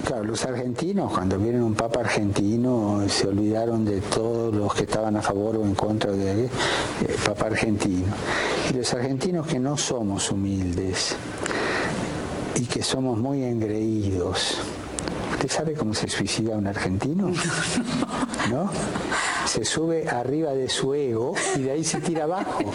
Claro, los argentinos, cuando vieron un papa argentino, se olvidaron de todos los que estaban a favor o en contra del papa argentino. Y los argentinos que no somos humildes y que somos muy engreídos. ¿Usted sabe cómo se suicida un argentino? ¿No? Se sube arriba de su ego y de ahí se tira abajo.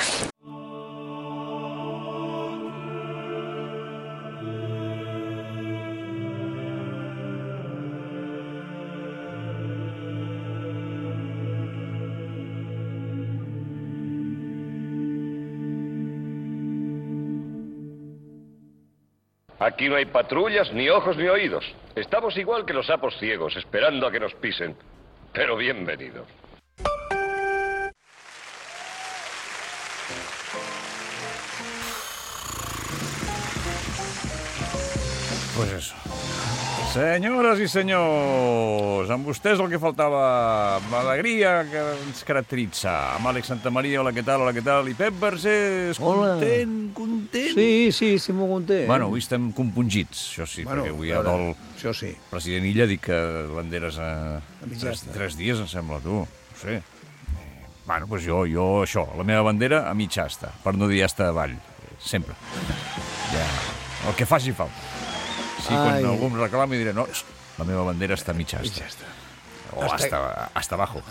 Aquí no hay patrullas, ni ojos, ni oídos. Estamos igual que los sapos ciegos, esperando a que nos pisen. Pero bienvenido. Pues eso. Senyores i senyors, amb vostès el que faltava, l'alegria que ens caracteritza. Amb Àlex Santamaria, hola, què tal? I Pep Vergés, content? Sí, molt content. Bueno, avui estem compungits, això sí, perquè avui hi ha el president Illa, dic que banderes a 3 dies, em sembla, tu, no sé. Bueno, doncs jo això, la meva bandera a mitja asta, per no dir asta avall, sempre. Ja, el que faci falta. Sí, quan algú em reclama i diré, no, la meva bandera està a mitja asta. O hasta abajo.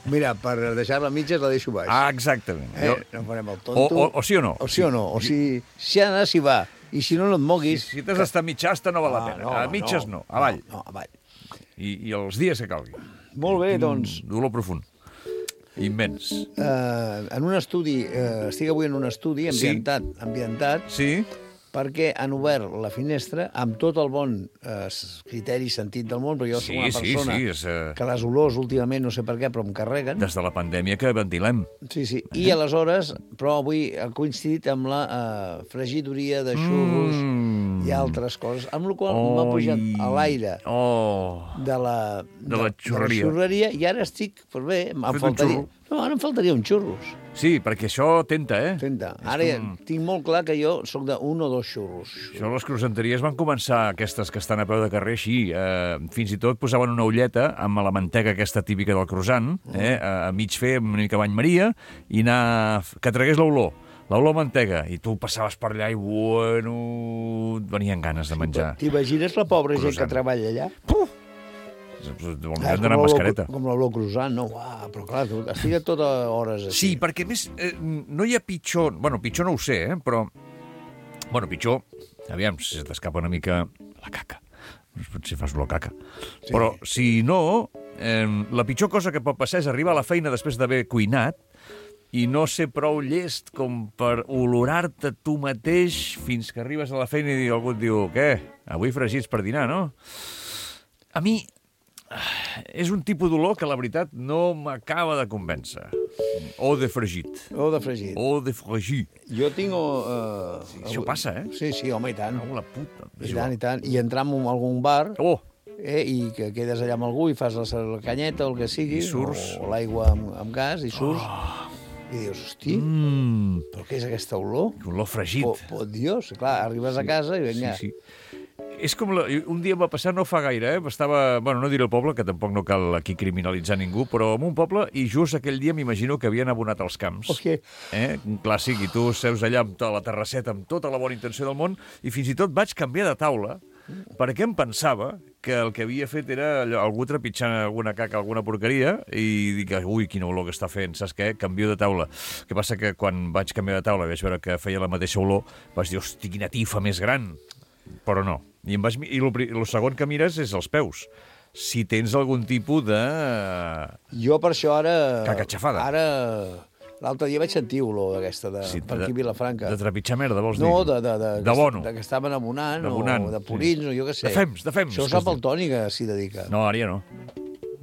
Mira, per deixar-la a mitges la deixo baix. Ah, exactament. No farem el tonto. O sí o no. O sí o no. O si ha d'anar, s'hi va. I si no et moguis... Si t'has d'estar a mitja asta no val la pena. A mitges no, avall. No, avall. I els dies que calgui. Molt bé, doncs. Dolor profund. Immens. En un estudi, estic avui en un estudi ambientat, sí, perquè han obert la finestra amb tot el bon criteri i sentit del món, perquè jo soc una persona que les olors últimament, no sé per què, però em carreguen. Des de la pandèmia que ventilem. Sí. I aleshores, però avui ha coincidit amb la fregidoria de xurros i altres coses, amb la qual m'ha pujat a l'aire de la xurreria i ara estic, per bé, ara em faltaria un xurros. Sí, perquè això tenta, Tenta. Ara tinc molt clar que jo sóc d'un o dos xurros. Això, les croissanteries van començar, aquestes que estan a peu de carrer, així. Fins i tot posaven una ulleta amb la mantega aquesta típica del croissant, a mig fer una mica bany Maria, i anar... que tragués l'olor mantega, i tu passaves per allà i, bueno, et venien ganes de menjar. T'imagines la pobra gent que treballa allà? Puf! Hem d'anar amb mascareta. Com l'olor croissant, no? Però clar, estic a totes hores així. Sí, perquè més no hi ha pitjor... Bueno, pitjor no ho sé, però... Bueno, pitjor... Aviam, si es t'escapa una mica la caca. Potser fas olor caca. Sí. Però, si no, la pitjor cosa que pot passar és arribar a la feina després d'haver cuinat i no ser prou llest com per olorar-te tu mateix fins que arribes a la feina i algú et diu, què? Avui fregits per dinar, no? A mi... és un tipus d'olor que, la veritat, no m'acaba de convèncer. O de fregit. Jo tinc... Això passa, Sí, home, i tant. La puta. I tant. I entrar en algun bar i que quedes allà amb algú i fas la canyeta o el que sigui, o l'aigua amb gas, i surts, i dius, hosti, però què és aquesta olor? Olor fregit. Dios, clar, arribes a casa i vinga. Sí. És com... Un dia em va passar, no fa gaire, estava... Bueno, no diré el poble, que tampoc no cal aquí criminalitzar ningú, però en un poble, i just aquell dia m'imagino que havien abonat els camps. Un clàssic, i tu seus allà amb la terrasseta, amb tota la bona intenció del món, i fins i tot vaig canviar de taula, perquè em pensava que el que havia fet era algú trepitjant alguna caca, alguna porqueria, i dic, ui, quina olor que està fent, saps què? Canvio de taula. El que passa que quan vaig canviar de taula i vaig veure que feia la mateixa olor, vaig dir, hosti, quina tifa més gran. Però no. I el segon que mires és els peus. Si tens algun tipus de... Jo per això ara... Caca xafada. Ara... L'altre dia vaig sentir olor d'aquesta, per aquí a Vilafranca. De trepitjar merda, vols dir? No, de bono. Que estaven abonant, o de purins, o jo què sé. De fems. Això ho sap el Toni, que s'hi dedica. No, ara ja no.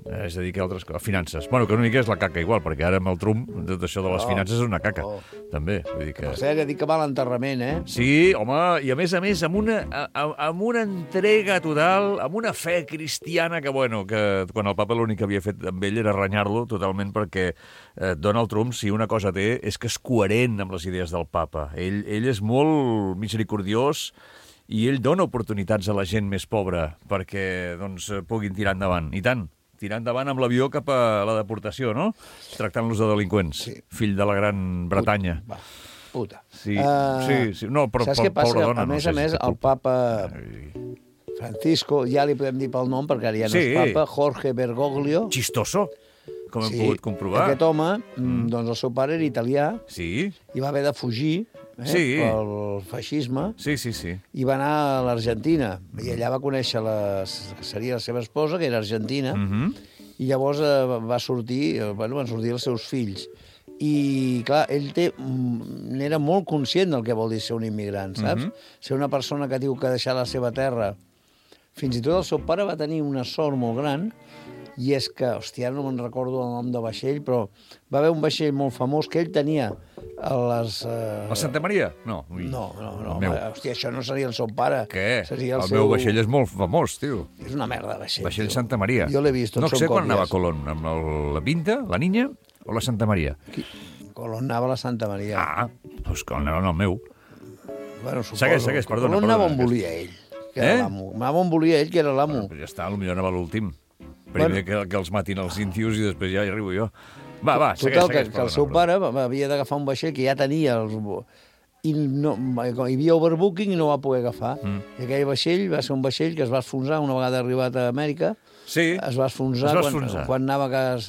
Es dedica a altres coses, a finances. Bueno, que una mica és la caca igual, perquè ara amb el Trump, tot això de les finances és una caca, també. Vull dir que... Per cert, dic que va a l'enterrament, Sí, home, i a més, amb una entrega total, amb una fe cristiana que, bueno, que quan el papa l'únic que havia fet amb ell era renyar-lo totalment, perquè Donald Trump, si una cosa té, és que és coherent amb les idees del papa. Ell és molt misericordiós i ell dona oportunitats a la gent més pobra perquè doncs, puguin tirar endavant. I tant, tirar endavant amb l'avió cap a la deportació, no? Tractant-los de delinqüents. Sí. Fill de la Gran Bretanya. Puta. Sí. No, però saps què passa? dona, a més, el papa Francisco, ja li podem dir pel nom, perquè ara ja no és papa, Jorge Bergoglio. Chistoso, com hem pogut comprovar. Aquest home, doncs el seu pare era italià i va haver de fugir pel feixisme i va anar a l'Argentina. I allà va conèixer seria la seva esposa, que era argentina, i llavors van sortir els seus fills. I, clar, ell n'era molt conscient del que vol dir ser un immigrant, saps? Ser una persona que diu que ha deixat la seva terra. Fins i tot el seu pare va tenir una sort molt gran, i és que, hòstia, no me'n recordo el nom de vaixell, però va haver un vaixell molt famós que ell tenia a les... La Santa Maria? No. No. Hòstia, això no seria el seu pare. Què? El meu vaixell és molt famós, tio. És una merda de vaixell. Vaixell Santa Maria. Jo l'he vist, no sé quan anava Colón, amb la Pinta, la Niña o la Santa Maria? Colón anava a la Santa Maria. Doncs que anava en el meu. Bueno, suposo. Segueix, perdona. Colón anava on volia ell, que era l'amo. Anava on volia ell, que era l'amo. Ja està, potser anava l'últim. Primer que els matin els índios i després ja hi arribo jo. Va, segueix. Total, que el seu pare havia d'agafar un vaixell que ja tenia i hi havia overbooking i no va poder agafar. I aquell vaixell va ser un vaixell que es va esfonsar una vegada arribat a Amèrica. Sí. Es va esfonsar quan anava per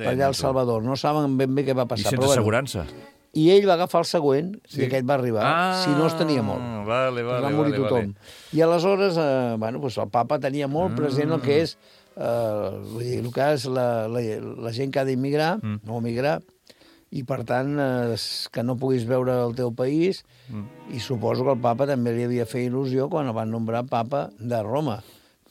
allà al Salvador. No saben ben bé què va passar. I sense assegurança. I ell va agafar el següent i aquest va arribar. Si no, es tenia molt. Va morir tothom. I aleshores, el papa tenia molt present el que és la gent que ha d'immigrar o migrar, i per tant que no puguis veure el teu país, i suposo que el papa també li havia fet il·lusió quan el van nombrar papa de Roma,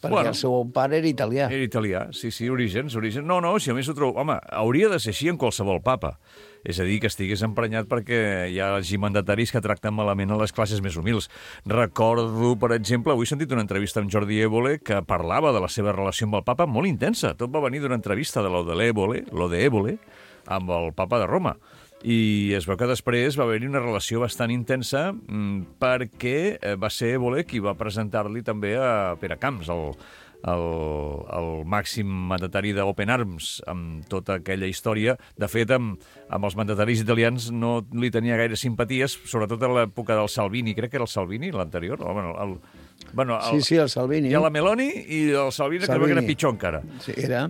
perquè el seu pare era italià. Era italià, sí, orígens. No, si a més ho trobo... Home, hauria de ser així en qualsevol papa. És a dir, que estigués emprenyat perquè hi ha mandataris que tracten malament a les classes més humils. Recordo, per exemple, avui he sentit una entrevista amb Jordi Évole que parlava de la seva relació amb el papa molt intensa. Tot va venir d'una entrevista de lo de Évole, amb el papa de Roma. I es veu que després va haver-hi una relació bastant intensa perquè va ser Évole qui va presentar-li també a Pere Camps, el màxim mandatari d'Open Arms, amb tota aquella història. De fet, amb els mandataris italians no li tenia gaire simpaties, sobretot a l'època del Salvini. Crec que era el Salvini, l'anterior. Sí, el Salvini. Hi ha la Meloni i el Salvini, que era pitjor encara. Sí, era.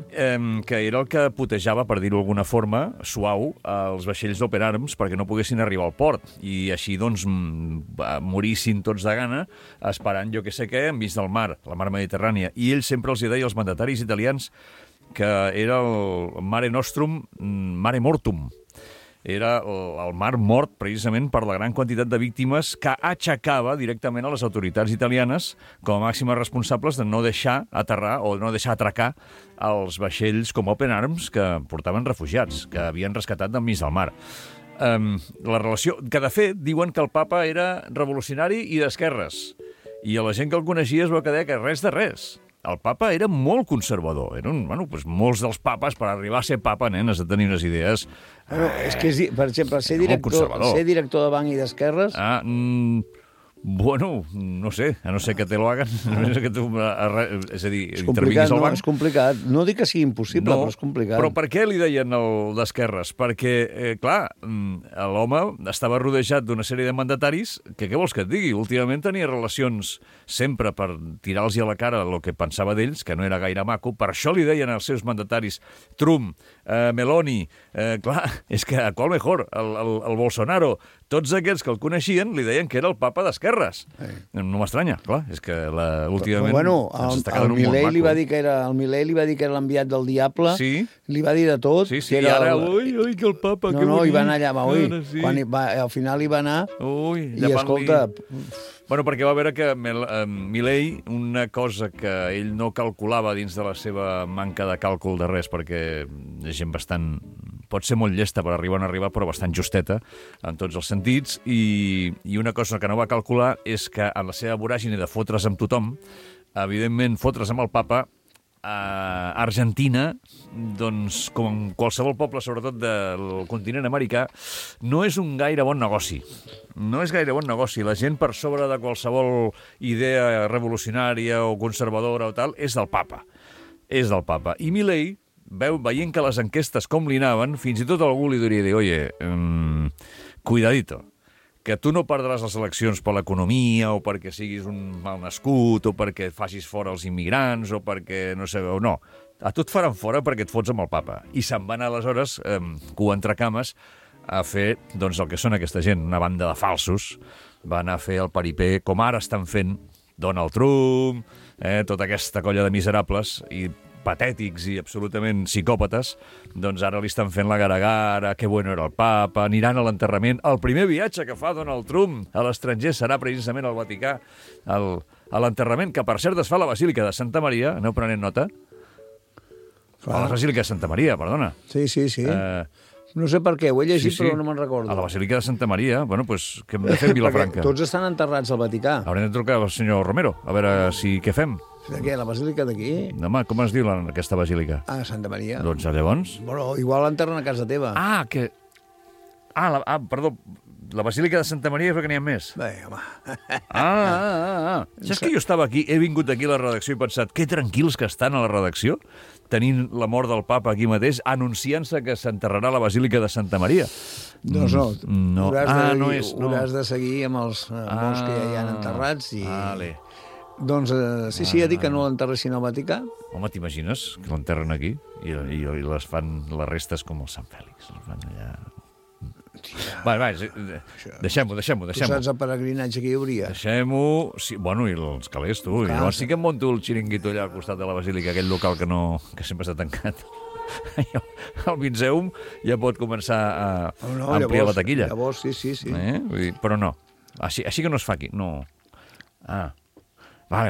Que era el que putejava, per dir-ho d'alguna forma, suau, els vaixells d'Open Arms perquè no poguessin arribar al port. I així, doncs, morissin tots de gana, esperant jo que sé què, enmig del mar, la mar Mediterrània. I ell sempre els deia als mandataris italians que era el Mare Nostrum, Mare Mortum. Era el mar mort precisament per la gran quantitat de víctimes que aixecava directament a les autoritats italianes com a màximes responsables de no deixar aterrar o no deixar atracar els vaixells com Open Arms que portaven refugiats, que havien rescatat d'enmig del mar. La relació, que de fet diuen que el papa era revolucionari i d'esquerres, i a la gent que el coneixia es va quedar que res de res. El papa era molt conservador. Molts dels papes, per arribar a ser papa, has de tenir unes idees... És que, per exemple, ser director de banc i d'esquerres... Bueno, no sé, a no ser que te lo hagan. És a dir, intervinguis al banc. És complicat. No dic que sigui impossible, però és complicat. Però per què li deien el d'esquerres? Perquè, clar, l'home estava rodejat d'una sèrie de mandataris que, què vols que et digui? Últimament tenia relacions sempre per tirar-los a la cara el que pensava d'ells, que no era gaire maco. Per això li deien als seus mandataris Trump, Meloni, clar, és que a qual mejor, el Bolsonaro, tots aquests que el coneixien li deien que era el papa d'esquerres. No m'estranya, clar, és que últimament ens està quedant un món maco. El Milei li va dir que era l'enviat del diable, li va dir de tot. Sí, i ara, ui, que el papa, que bonic. No, hi va anar allà, quan al final hi va anar, i escolta... Bueno, perquè va veure que Milei, una cosa que ell no calculava dins de la seva manca de càlcul de res, perquè és gent bastant... pot ser molt llesta per arribar on arribar, però bastant justeta en tots els sentits, i una cosa que no va calcular és que en la seva voràgine de fotre's amb tothom, evidentment, fotre's amb el papa Argentina, doncs, com qualsevol poble, sobretot del continent americà, no és un gaire bon negoci. No és gaire bon negoci. La gent, per sobre de qualsevol idea revolucionària o conservadora o tal, és del papa. És del papa. I Milei, veient que les enquestes com li anaven, fins i tot algú li diria dir, oye, cuidadito, que tu no perdràs les eleccions per l'economia o perquè siguis un malnascut o perquè facis fora els immigrants o perquè no sé, o no. A tu et faran fora perquè et fots amb el papa. I se'n van aleshores, cua entre cames, a fer doncs, el que són aquesta gent, una banda de falsos. Van a fer el paripé, com ara estan fent Donald Trump, tota aquesta colla de miserables i patètics i absolutament psicòpates, doncs ara li estan fent la gara-gara, que bueno era el papa, aniran a l'enterrament. El primer viatge que fa Donald Trump a l'estranger serà precisament al Vaticà, a l'enterrament, que per cert es fa a la Basílica de Santa Maria, aneu prenent nota? A la Basílica de Santa Maria, perdona. Sí. No sé per què, ho he llegit, però no me'n recordo. A la Basílica de Santa Maria, bueno, doncs, què hem de fer a Vilafranca? Tots estan enterrats al Vaticà. Haurem de trucar al senyor Romero, a veure què fem. De què, la Basílica d'aquí? Home, com es diu aquesta basílica? Santa Maria. Doncs llavors? Bueno, igual l'enterren a casa teva. Perdó, la Basílica de Santa Maria és que n'hi ha més. Bé, home. Saps que jo estava aquí, he vingut aquí a la redacció i he pensat, que tranquils que estan a la redacció, tenint la mort del papa aquí mateix, anunciant-se que s'enterrarà a la Basílica de Santa Maria. Doncs no. Hauràs de seguir amb els morts que ja hi ha enterrats i... Vale. Doncs sí, ha dit que no l'enterressin al Vaticà. Home, t'imagines que l'enterren aquí i les fan les restes com el Sant Fèlix. Les fan allà... Va, deixem-ho. Tu saps el peregrinatge que hi hauria? Deixem-ho... Sí, bueno, i els calés, tu. I llavors sí que em monto el xiringuito allà al costat de la Basílica, aquell local que sempre està tancat. El Vinceum ja pot començar a ampliar la taquilla. Llavors, sí. Vull dir, però no. Així que no es fa aquí. No. Vale.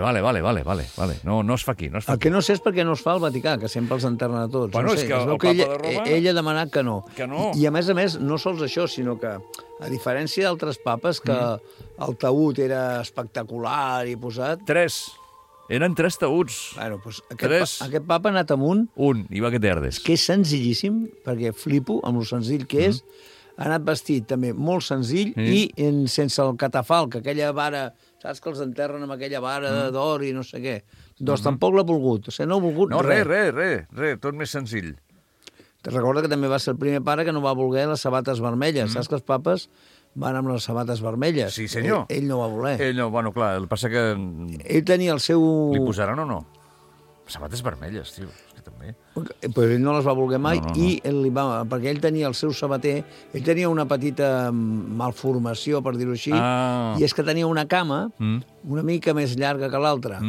No es fa aquí. El que no sé és perquè no es fa al Vaticà, que sempre els enterren a tots. Bueno, és que el papa de Roma... Ell ha demanat que no. Que no. I a més, no sols això, sinó que, a diferència d'altres papes, que el taüt era espectacular i posat... 3. Eren 3 taüts. Bueno, doncs aquest papa ha anat amunt... I va que terdes. Que és senzillíssim, perquè flipo amb lo senzill que és. Ha anat vestit també molt senzill i sense el catafalc, aquella vara... Saps que els enterren amb aquella vara d'or i no sé què. Doncs tampoc l'ha volgut. O sigui, no ha volgut res. Res. Tot més senzill. Te recorda que també va ser el primer pare que no va voler les sabates vermelles. Saps que els papes van amb les sabates vermelles? Sí, senyor. Ell no va voler. Ell no, bueno, clar, el que passa que... Ell tenia el seu... Li posaran o no? Sabates vermelles, tio. També. Però ell no les va voler mai i perquè ell tenia el seu sabater, ell tenia una petita malformació, per dir-ho així, i és que tenia una cama una mica més llarga que l'altra.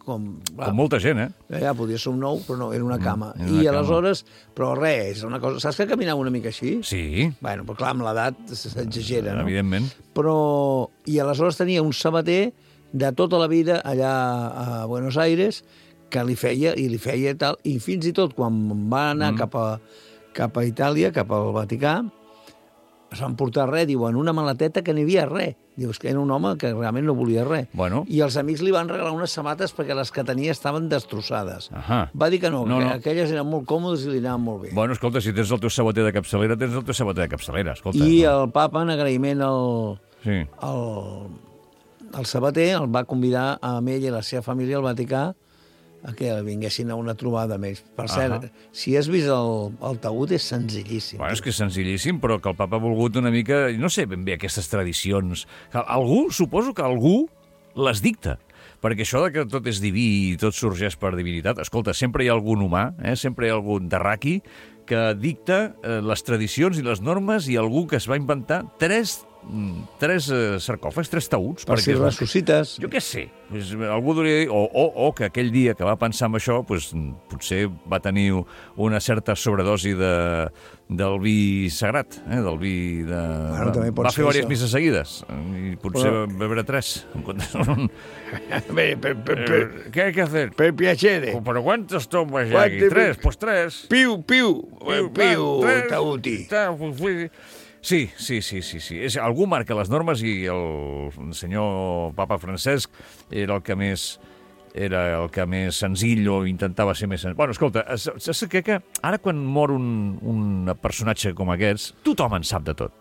Com molta gent, Ja podia ser un nou, però no, era una cama. I aleshores, però res, és una cosa... Saps que caminava una mica així? Sí. Bueno, però clar, amb l'edat s'exagera, no? Evidentment. I aleshores tenia un sabater de tota la vida allà a Buenos Aires, que li feia i tal, i fins i tot quan va anar cap a Itàlia, cap al Vaticà, es van portar res, diuen, una maleteta que n'hi havia res. Dius que era un home que realment no volia res. Bueno. I els amics li van regalar unes sabates perquè les que tenia estaven destrossades. Va dir que no, que aquelles eren molt còmodes i li anaven molt bé. Bueno, escolta, si tens el teu sabater de capçalera, tens el teu sabater de capçalera, escolta. I el papa, en agraïment al sabater, el va convidar a ell i la seva família al Vaticà a que vinguessin a una trobada amb ells. Per cert, si has vist el taüt, és senzillíssim. Bueno, és que és senzillíssim, però que el papa ha volgut una mica... No sé ben bé aquestes tradicions. Suposo que algú les dicta. Perquè això de que tot és diví i tot sorgeix per divinitat... Escolta, sempre hi ha algun humà, sempre hi ha algun terraqui que dicta les tradicions i les normes i algú que es va inventar tres sarcòfags, 3 taüts. Per si ressuscites. Jo què sé. Algú diria dir, o que aquell dia que va pensar en això, potser va tenir una certa sobredosi del vi sagrat, del vi de... Va fer diverses misses seguides i potser va beure 3. ¿Qué hay que hacer? Per piacere. ¿Pero cuántos tomas ya aquí? 3, pues 3. Piu, taüti. Sí. Algú marca les normes i el senyor papa Francesc era el que més era el que més senzill o intentava ser més senzill. Bueno, escolta, saps que ara quan mor un personatge com aquests, tothom en sap de tot.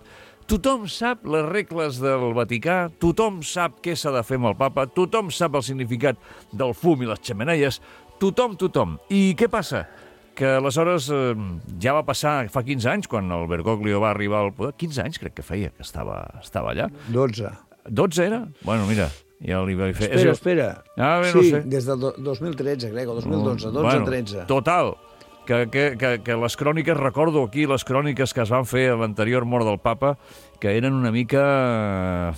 Tothom sap les regles del Vaticà, tothom sap què s'ha de fer amb el papa, tothom sap el significat del fum i les xemeneies, tothom. I què passa? Que aleshores ja va passar fa 15 anys, quan el Bergoglio va arribar al poder. 15 anys crec que feia que estava allà. 12. 12 era? Bueno, mira, ja li vaig fer... Espera. Bé, sí, no sé. Des del 2013, crec, o 2012, 12-13. Total, que les cròniques, recordo aquí les cròniques que es van fer a l'anterior mort del papa, que eren una mica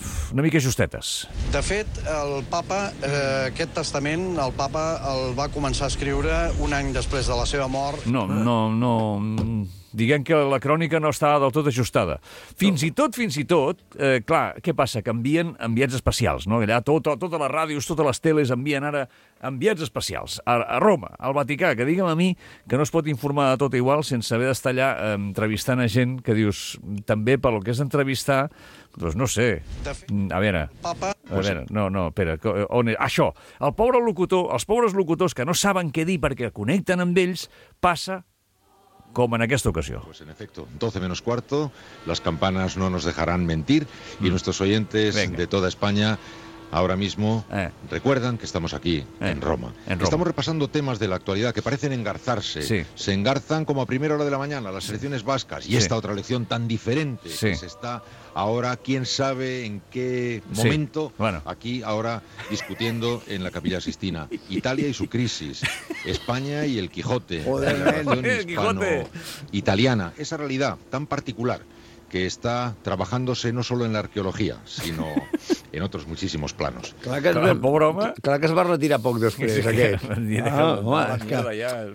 justetes. De fet, el papa, aquest testament, el papa el va començar a escriure un any després de la seva mort. No. Diguem que la crònica no estava del tot ajustada. Fins i tot, clar, què passa? Que envien enviats especials, no? Allà totes les ràdios, totes les teles envien ara enviats especials a Roma, al Vaticà, que digue'm a mi que no es pot informar de tot igual sense haver d'estar allà entrevistant a gent que dius, també pel que és entrevistar, doncs no sé. A veure, espera, això, els pobres locutors que no saben què dir perquè connecten amb ells, passa como en esta ocasión. Pues en efecto, 12 menos cuarto, las campanas no nos dejarán mentir y nuestros oyentes de toda España ahora mismo recuerdan que estamos aquí, en Roma. Estamos repasando temas de la actualidad que parecen engarzarse. Sí. Se engarzan como a primera hora de la mañana, las elecciones vascas y esta otra elección tan diferente que se está ahora, quién sabe en qué momento, aquí ahora discutiendo en la Capilla Sixtina. Italia y su crisis, España y el Quijote, la relación hispano-italiana, esa realidad tan particular que está trabajándose no solo en la arqueología, sino en otros muchísimos planos. Clar que es va retirar poc després, aquest.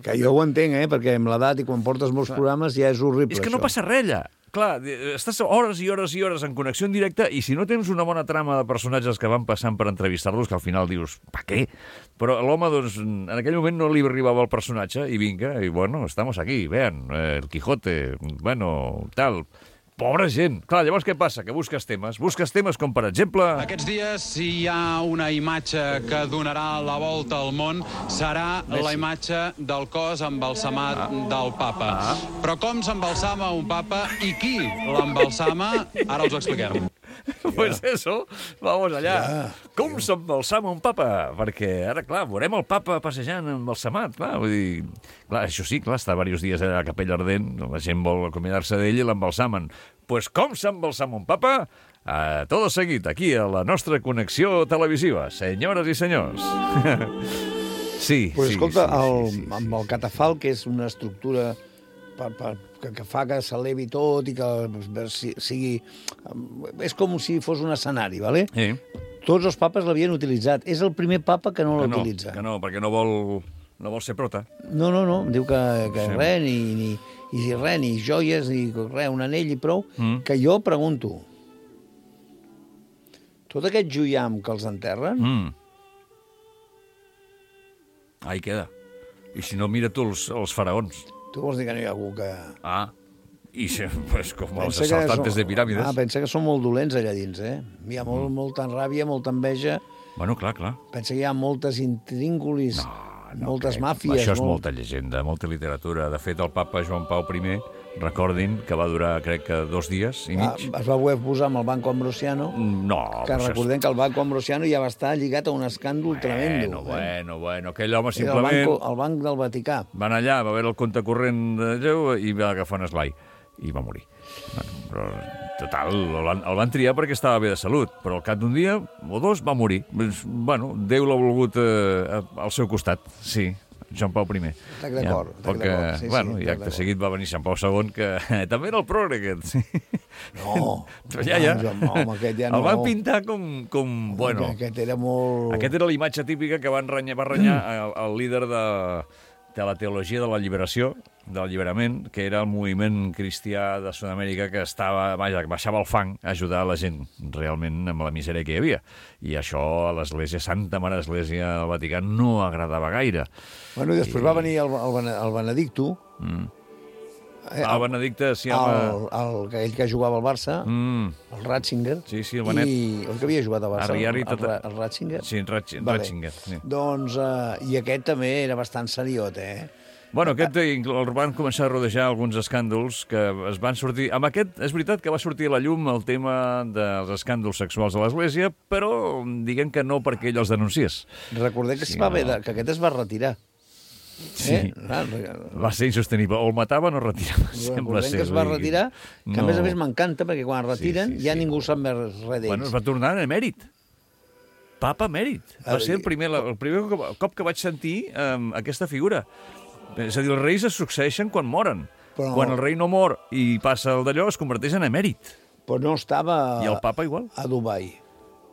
Que jo ho entenc, perquè amb l'edat i quan portes molts programes ja és horrible. És que no passa res, allà. Clar, estàs hores i hores en connexió en directe i si no tens una bona trama de personatges que van passant per entrevistar-los, que al final dius, pa què? Però l'home, doncs, en aquell moment no li arribava el personatge i vinga, i bueno, estamos aquí, vean, el Quijote, bueno, tal... Pobra gent. Clar, llavors què passa? Que busques temes com, per exemple... Aquests dies, si hi ha una imatge que donarà la volta al món, serà la imatge del cos embalsamat del papa. Però com s'embalsama un papa i qui l'embalsama, ara us ho expliquem. Pues eso, vamos allà. Com s'embalsama un papa? Perquè ara, clar, veurem el papa passejant embalsamat, clar, vull dir... Clar, això sí, clar, està diversos dies a la Capella Ardent, la gent vol acomiadar-se d'ell i l'embalsamen. Pues com s'embalsama un papa? Tot seguit, aquí, a la nostra connexió televisiva. Senyores i senyors. Sí, pues escolta, amb el catafalc, que és una estructura que fa que s'elevi tot i que sigui... És com si fos un escenari, ¿vale? Sí. Tots els papes l'havien utilitzat. És el primer papa que no l'utilitza. Que no, perquè no vol ser prota. No. Diu que res, ni joies, ni res, un anell i prou. Que jo pregunto, tot aquest joiam que els enterren... Ahí queda. I si no, mira tu els faraons. Tu vols dir que no hi ha algú que... Pues com els assaltantes de piràmides. Pensa que són molt dolents allà dins, Hi ha molta ràbia, molta enveja. Bueno, clar. Pensa que hi ha moltes intríngulis, moltes màfies. Això és molta llegenda, molta literatura. De fet, el papa Joan Pau I, recordin que va durar, crec que 2 dies i mig. Es va voler posar amb el Banco Ambrosiano. No. Que recordem que el Banco Ambrosiano ja va estar lligat a un escàndol tremendo. Bueno. Aquell home simplement... El Banc del Vaticà. Van allà, va veure el compte corrent de Déu i va agafar un esglai. I va morir. Però, total, el van triar perquè estava bé de salut, però al cap d'un dia o 2 va morir. Bueno, Déu l'ha volgut al seu costat, sí. Joan Pau I. Estic d'acord. I acte seguit va venir Sant Pau II, que també era el progre, aquest. No, aquest ja no. El van pintar com bueno. Aquest era molt... Aquest era la imatge típica que va renyar el líder de la teologia de la lliberació, de l'alliberament, que era el moviment cristià de Sud-amèrica que baixava al fang a ajudar la gent realment amb la misèria que hi havia. I això a l'Església, Santa Mare Església del Vaticà, no agradava gaire. Bueno, i després va venir el Benedicto, El Benedicte, sí, aquell que jugava al Barça, el Ratzinger. Sí, el Benet. I el que havia jugat al Barça, el Ratzinger. Sí, Ratzinger. Doncs, i aquest també era bastant seriot, Bueno, aquest el van començar a rodejar alguns escàndols que es van sortir... Amb aquest, és veritat que va sortir a la llum el tema dels escàndols sexuals a l'Església, però diguem que no perquè ell els denunciés. Recordem que que aquest es va retirar. Sí, va ser insostenible. O el mataven o retirava. Recordem que es va retirar, que a més m'encanta, perquè quan es retiren ja ningú sap més res d'ells. Bueno, es va tornar en emèrit. Papa emèrit. Va ser el primer cop que vaig sentir aquesta figura. És a dir, els reis es succeeixen quan moren. Quan el rei no mor i passa el d'allò, es converteix en emèrit. Però no estava... I el papa igual? A Dubai.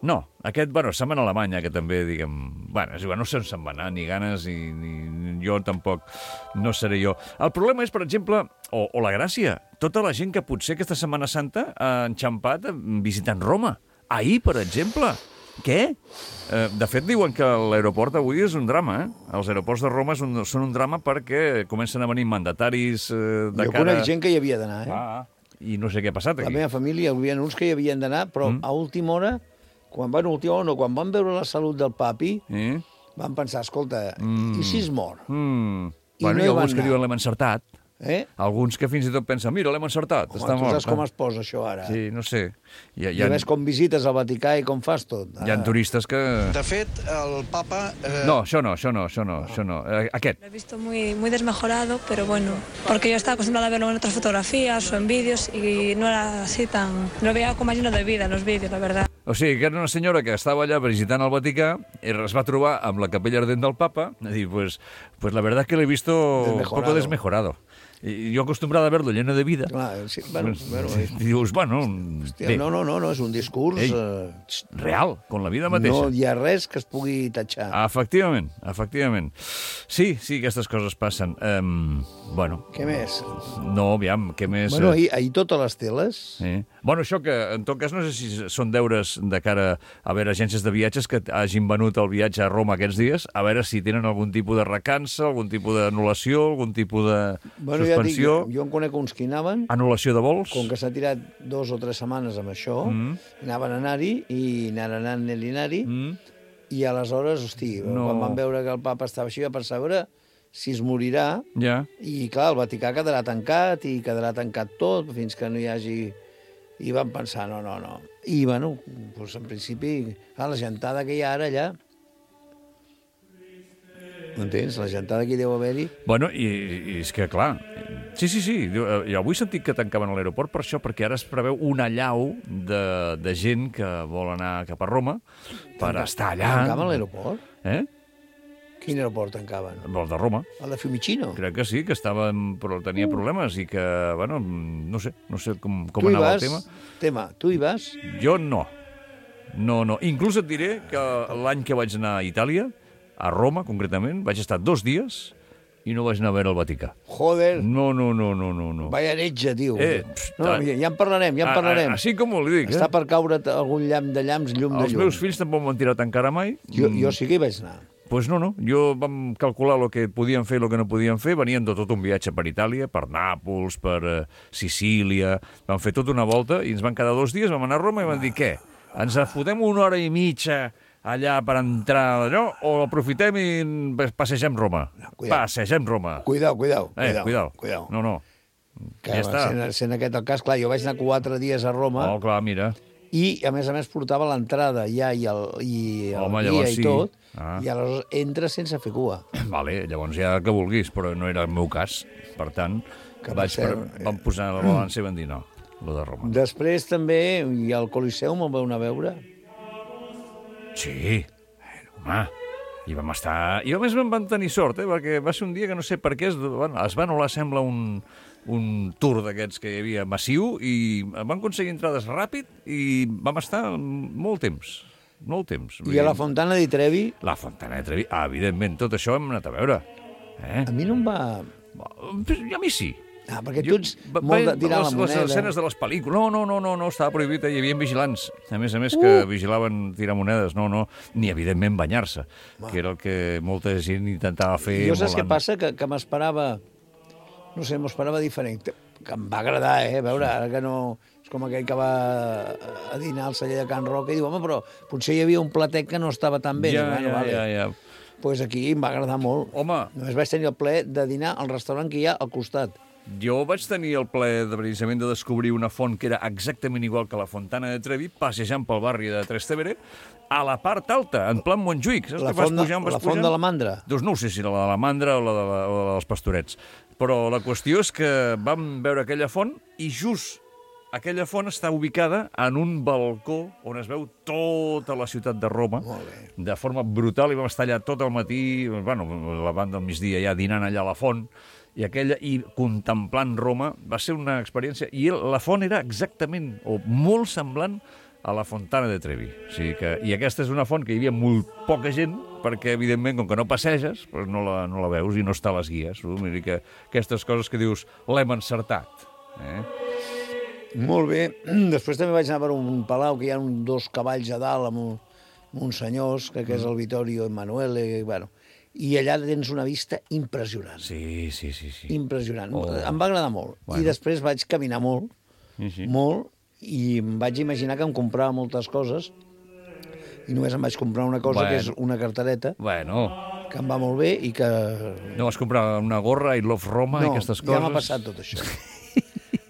No, aquest, se'n va a Alemanya, que també, diguem... Bueno, és igual, no sé on se'n va anar, ni ganes, ni jo tampoc, no seré jo. El problema és, per exemple, o la gràcia, tota la gent que potser aquesta Setmana Santa ha enxampat visitant Roma. Ahir, per exemple. Què? De fet, diuen que l'aeroport avui és un drama, Els aeroports de Roma són un drama perquè comencen a venir mandataris de cara... Jo conec gent que hi havia d'anar, I no sé què ha passat aquí. La meva família, hi havia uns que hi havien d'anar, però a última hora, quan van veure la salut del papi, van pensar, escolta, i si es mor? Bueno, hi ha alguns que diuen l'hem encertat. Alguns que fins i tot pensen, mira, l'hem encertat, està mort. Tu saps com es posa això ara? Sí, no sé. I ves com visites al Vaticà i com fas tot. Hi ha turistes que... De fet, el papa... No, això no. Aquest. Lo he visto muy desmejorado, pero bueno, porque yo estaba acostumbrada a verlo en otras fotografías o en vídeos y no era así tan... Lo veía como lleno de vida en los vídeos, la verdad. O sigui, que era una senyora que estava allà visitant el Vaticà i es va trobar amb la capella ardent del papa i dir, pues la verdad que l'he visto un poco desmejorado. Y yo acostumbrada a verlo lleno de vida. Clar, sí, bueno. I dius, bueno... Hòstia, no, és un discurs... real, con la vida mateixa. No hi ha res que es pugui tatxar. Efectivament. Sí, aquestes coses passen. Bueno... Què més? No, aviam, què més... Bueno, ahir totes les teles... Sí. Bueno, això que, en tot cas, no sé si són deures de cara a veure agències de viatges que hagin venut el viatge a Roma aquests dies, a veure si tenen algun tipus de recança, algun tipus d'anul·lació, algun tipus de suspensió. Jo en conec uns que hi anaven... Anul·lació de vols. Com que s'ha tirat 2 o 3 setmanes amb això, anaven a anar-hi i anaven anar-hi, i aleshores, quan van veure que el papa estava així, va pensar, a veure si es morirà, i clar, el Vaticà quedarà tancat, i quedarà tancat tot, fins que no hi hagi... I van pensar, no. I, bueno, doncs en principi, la gentada que hi ha ara allà... M'entens? La gentada que hi deu haver-hi... Bueno, i és que, clar... Sí. Jo avui he sentit que tancaven a l'aeroport per això, perquè ara es preveu una allau de gent que vol anar cap a Roma per estar allà... Tancaven l'aeroport? Quin aeroport tancaven? El de Roma. El de Fiumicino? Crec que sí, que tenia problemes i que, bueno, no sé com anava el tema. Tu hi vas? Jo no. Inclús et diré que l'any que vaig anar a Itàlia, a Roma concretament, vaig estar 2 dies i no vaig anar a veure el Vaticà. Joder. No. Vaya heretge, tio. Ja en parlarem. Així com li dic. Està per caure algun llamp de llams, llum de llum. Els meus fills tampoc m'han tirat encara mai. Jo sí que hi vaig anar. Pues no. Jo vam calcular el que podien fer i el que no podien fer. Venien de tot un viatge per Itàlia, per Nàpols, per Sicília. Vam fer tota una volta i ens van quedar 2 dies, vam anar a Roma i van dir, què? Ens fotem 1 hora i mitja allà per entrar allò o aprofitem i passegem Roma? Passegem Roma. Cuidao. No. Ja està. Sent aquest el cas, clar, jo vaig anar 4 dies a Roma. Oh, clar, mira. I, a més, portava l'entrada ja i el guia i tot, i aleshores entres sense fer cua. Vale, llavors ja que vulguis, però no era el meu cas. Per tant, vam posar la balança i vam dir no, lo de Roma. Després també hi ha el Coliseum, on vau anar a veure? Sí, home, i vam estar... I a més vam tenir sort, perquè va ser un dia que no sé per què es va anul·lar, sembla, un tour d'aquests que hi havia massiu i vam aconseguir entrades ràpid i vam estar molt temps. I a la Fontana di Trevi? La Fontana di Trevi, evidentment, tot això hem anat a veure. A mi no em va... A mi sí. Perquè tu ets molt de tirar la moneda. Les escenes de les pel·lícules. No, estava prohibit, hi havia vigilants. A més, que vigilaven tirar monedes. No, ni evidentment banyar-se, que era el que molta gent intentava fer. Jo saps què passa? Que m'esperava... No sé, m'esperava diferent. que em va agradar, a veure, ara que no... És com aquell que va a dinar al celler de Can Roca i diu, home, però potser hi havia un platet que no estava tan bé. Ja. Pues aquí em va agradar molt. Home. Només vaig tenir el plaer de dinar al restaurant que hi ha al costat. Jo vaig tenir el plaer precisament de descobrir una font que era exactament igual que la Fontana de Trevi, passejant pel barri de Trastevere, a la part alta, en plan Montjuïc. La font de la Mandra. Doncs no ho sé si la de la Mandra o la dels Pastorets. Però la qüestió és que vam veure aquella font i just aquella font està ubicada en un balcó on es veu tota la ciutat de Roma de forma brutal i vam estar allà tot el matí, bueno, la banda del migdia ja dinant allà a la font i contemplant Roma. Va ser una experiència i la font era exactament o molt semblant a la Fontana de Trevi. O sigui que, i aquesta és una font que hi havia molt poca gent perquè, evidentment, com que no passeges, doncs no la veus i no està a les guies. Vull dir que aquestes coses que dius, l'hem encertat. Molt bé. Després també vaig anar per un palau que hi ha dos cavalls a dalt amb uns senyors, que és el Vittorio Emanuele, bueno, i allà tens una vista impressionant. Sí. Impressionant. Em va agradar molt. I després vaig caminar molt, molt, i em vaig imaginar que em comprava moltes coses i només em vaig comprar una cosa, que és una cartereta, que em va molt bé i que... No vas comprar una gorra, I Love Roma i aquestes coses? No, ja m'ha passat tot això.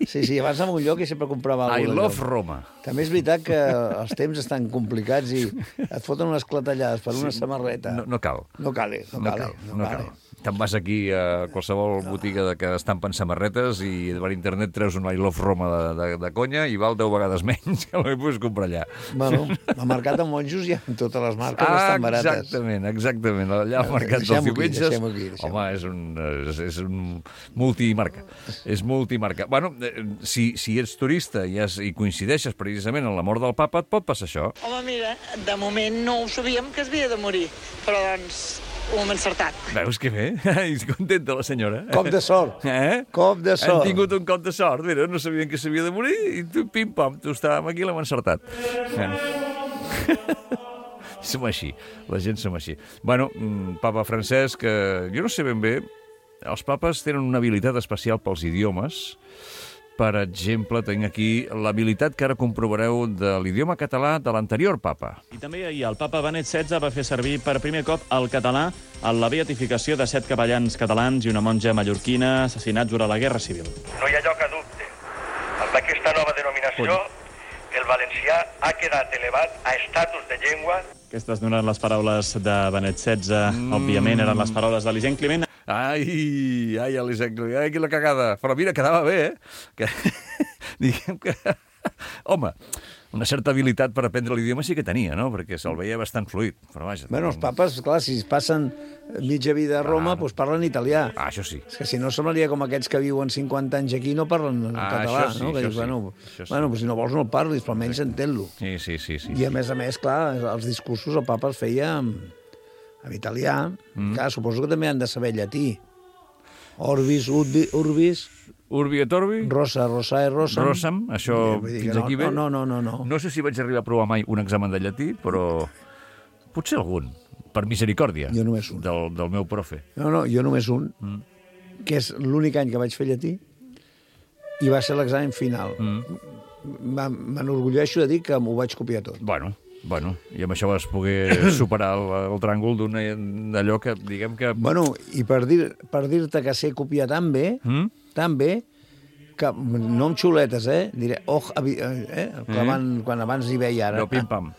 Sí, abans en un lloc i sempre comprava alguna cosa. I Love Roma. També és veritat que els temps estan complicats i et foten unes clatellades per una samarreta. No cal. No cal. Te'n vas aquí a qualsevol botiga que estampen samarretes i per internet treus un I Love Roma de conya i val 10 vegades menys que el que puguis comprar allà. Bueno, al mercat de monjos hi ha totes les marques estan barates. Exactament. Allà al mercat dels diumenges... Home, és un multimarca. És multimarca. Bueno, si ets turista i coincideixes precisament en la mort del papa, et pot passar això. Home, mira, de moment no ho sabíem que es havia de morir, però doncs... ho hem encertat. Veus que bé? És contenta la senyora. Cop de sort. Cop de sort. Han tingut un cop de sort. Mira, no sabien que s'havia de morir i tu, pim-pam, tu estàvem aquí i l'hem encertat. Som així. La gent som així. Bueno, papa Francesc, jo no sé ben bé, els papes tenen una habilitat especial pels idiomes. Per exemple, tinc aquí l'habilitat que ara comprovareu de l'idioma català de l'anterior papa. I també ahir el papa Benet XVI va fer servir per primer cop el català en la beatificació de 7 capellans catalans i una monja mallorquina assassinats durant la Guerra Civil. No hi ha lloc a dubte. Amb aquesta nova denominació, el valencià ha quedat elevat a estatus de llengua. Aquestes no eren les paraules de Benet XVI, òbviament eren les paraules d'Elisent Climent. Ai, Elisent Climent, ai, quina cagada. Però mira, quedava bé, Que... Diguem que... Home, una certa habilitat per aprendre l'idioma sí que tenia, no? Perquè se'l veia bastant fluid. Però vaja... Bueno, els papes, clar, si passen mitja vida a Roma, doncs parlen italià. Això sí. És que si no semblaria com aquests que viuen 50 anys aquí no parlen català, això sí, no? Que dius, bueno, si no vols no el parlis, però almenys entén-lo. Sí. I a més, clar, els discursos el papa els feia en italià. Clar, suposo que també han de saber llatí. Orbis, urbis... Urbi et orbi? Rosa e rosam. Rosam, això fins aquí bé? No. No sé si vaig arribar a provar mai un examen de llatí, però potser algun, per misericòrdia. Jo només un. Del meu profe. No, jo només un, que és l'únic any que vaig fer llatí, i va ser l'examen final. M'enorgulleixo de dir que m'ho vaig copiar tot. Bueno, i amb això vas poder superar el tràngol d'allò que, diguem que... Bueno, i per dir-te que sé copiar tan bé, que no amb xuletes, diré, quan abans hi veia ara. No, pim-pam.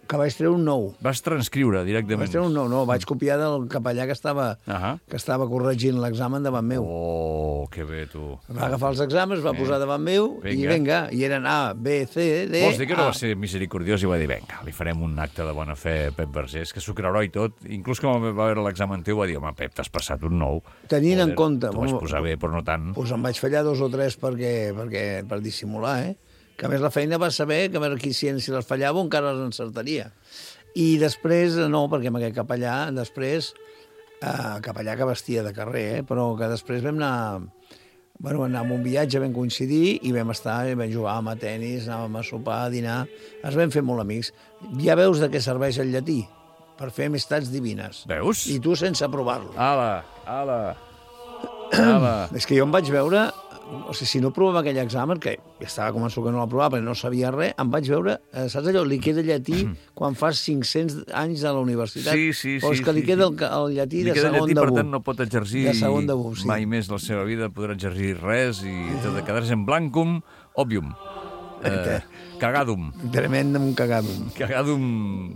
Que vaig treure un 9. Vas transcriure directament. Vaig treure un 9, vaig copiar del capellà que estava corregint l'examen davant meu. Oh, que bé, tu. Va agafar els exàmens, va posar davant meu i vinga, i eren A, B, C, D... Vols dir que no va ser misericordiós i va dir, vinga, li farem un acte de bona fe a Pep Vergés, que s'ho creurà i tot. Inclús quan va veure l'examen teu va dir, home, Pep, t'has passat un 9. Tenint en compte... T'ho vaig posar bé, però no tant. Doncs em vaig fallar 2 o 3 per dissimular, que a més la feina va saber que a veure si les fallava encara les encertaria. I després, no, perquè amb aquest capellà, després, capellà que vestia de carrer, però que després vam anar... Bueno, anàvem a un viatge, vam coincidir i vam estar, vam jugar a tenis, anàvem a sopar, a dinar, ens vam fer molt amics. Ja veus de què serveix el llatí? Per fer amistats divines. Veus? I tu sense provar-lo. Ala. És que jo em vaig veure o sigui, si no provava aquell examen, que estava convençut que no l'aprovava perquè no sabia res, em vaig veure, saps allò, li queda llatí quan fas 500 anys a la universitat? Sí. O és que li queda el llatí de segon debut. Per tant, no pot exercir mai més la seva vida, podrà exercir res i quedar-se en blancum, òbvium. Cagadum. Tremendum cagadum. Cagadum.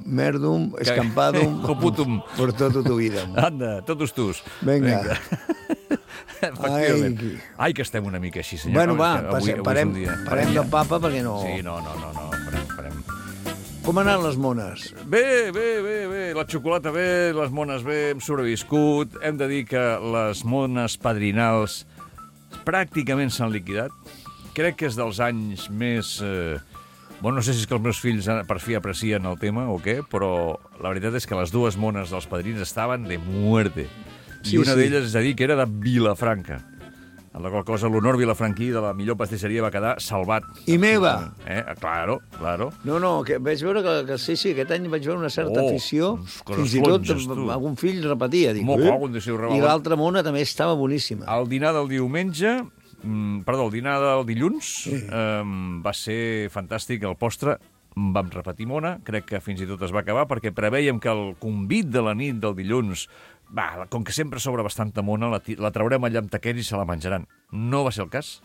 Merdum, escampadum. Coputum. Por todo tu vida. Anda, totus tus. Vinga. Ai, que estem una mica així, senyor. Bueno, va, parem del papa perquè no... Sí, no, farem. Com han anat les mones? Bé, la xocolata bé, les mones bé, hem sobreviscut. Hem de dir que les mones padrinals pràcticament s'han liquidat. Crec que és dels anys més... Bueno, no sé si és que els meus fills per fi aprecien el tema o què, però la veritat és que les dues mones dels padrins estaven de muerte. I una d'elles, és a dir, que era de Vilafranca. En la qual cosa l'Honor Vilafranquí de la millor pastisseria va quedar salvat. I meva! Claro. No, que vaig veure que sí, aquest any vaig veure una certa afició. Fins i tot algun fill repetia. Dic, i l'altra mona també estava boníssima. El dinar del diumenge... el dinar del dilluns va ser fantàstic, el postre vam repetir mona, crec que fins i tot es va acabar perquè preveiem que el convit de la nit del dilluns, com que sempre sobra bastanta mona, la traurem allà amb taquers i se la menjaran. No va ser el cas,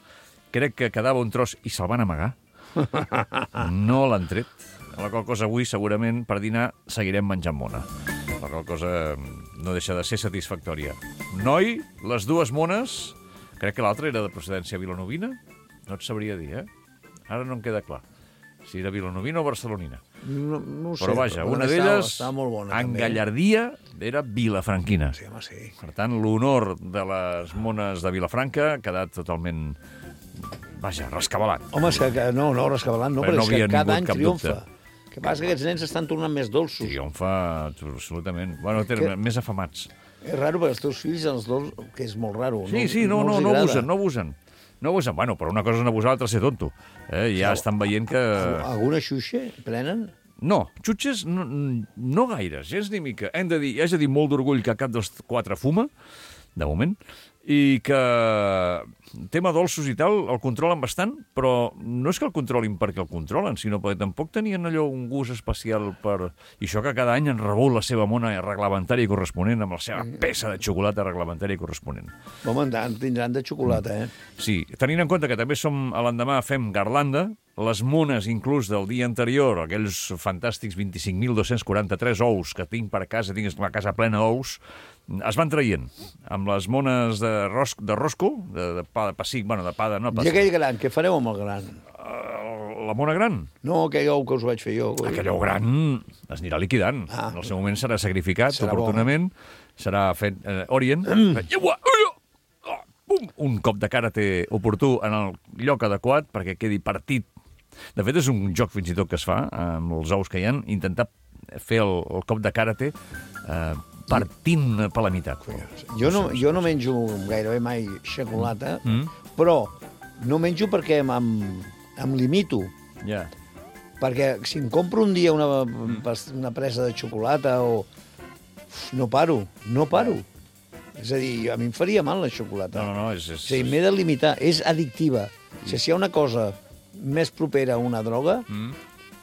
crec que quedava un tros i se'l van amagar, no l'han tret, la qual cosa avui segurament per dinar seguirem menjant mona, la qual cosa no deixa de ser satisfactòria. Noi, les dues mones... Crec que l'altra era de procedència vilanovina. No et sabria dir, Ara no em queda clar si era vilanovina o barcelonina. No ho sé. Però vaja, una d'elles, en gallardia, era vilafranquina. Sí, home, sí. Per tant, l'honor de les mones de Vilafranca ha quedat totalment, rescabalat. Home, és que no, rescabalat no, però és que cada any triomfa. El que passa que aquests nens estan tornant més dolços. Triomfa, absolutament. Bueno, més afamats. És raro perquè els teus fills, els dos, que és molt raro. Sí, no abusen. Bueno, però una cosa és abusar, l'altra ser tonto. Ja estan veient que... Alguna xuxa prenen? No, xutxes no gaires, gens ni mica. Haig de dir molt d'orgull que cap dels quatre fuma, de moment, i que tema dolços i tal el controlen bastant, però no és que el controlin perquè el controlen, sinó perquè tampoc tenien allò un gust especial per... I això que cada any han rebut la seva mona reglamentària corresponent amb la seva peça de xocolata reglamentària corresponent. Home, tindran de xocolata, Sí, tenint en compte que també a l'endemà fem garlanda, les mones inclús del dia anterior, aquells fantàstics 25.243 ous que tinc per casa, tinc la casa plena d'ous, es van traient amb les mones de rosco, de pa de pessic, de pa de... I aquell gran, què fareu amb el gran? La mona gran? No, aquell ou que us vaig fer jo. Aquell ou gran es anirà liquidant. En el seu moment serà sacrificat oportunament, serà fet orient, un cop de karate oportú en el lloc adequat perquè quedi partit. De fet, és un joc fins i tot que es fa amb els ous que hi ha, intentar fer el cop de karate partint per la meitat. Jo no menjo gairebé mai xocolata, però no menjo perquè em limito. Perquè si em compro un dia una presa de xocolata no paro. És a dir, a mi em faria mal la xocolata. O sigui, m'he de limitar. És addictiva. Si hi ha una cosa més propera a una droga,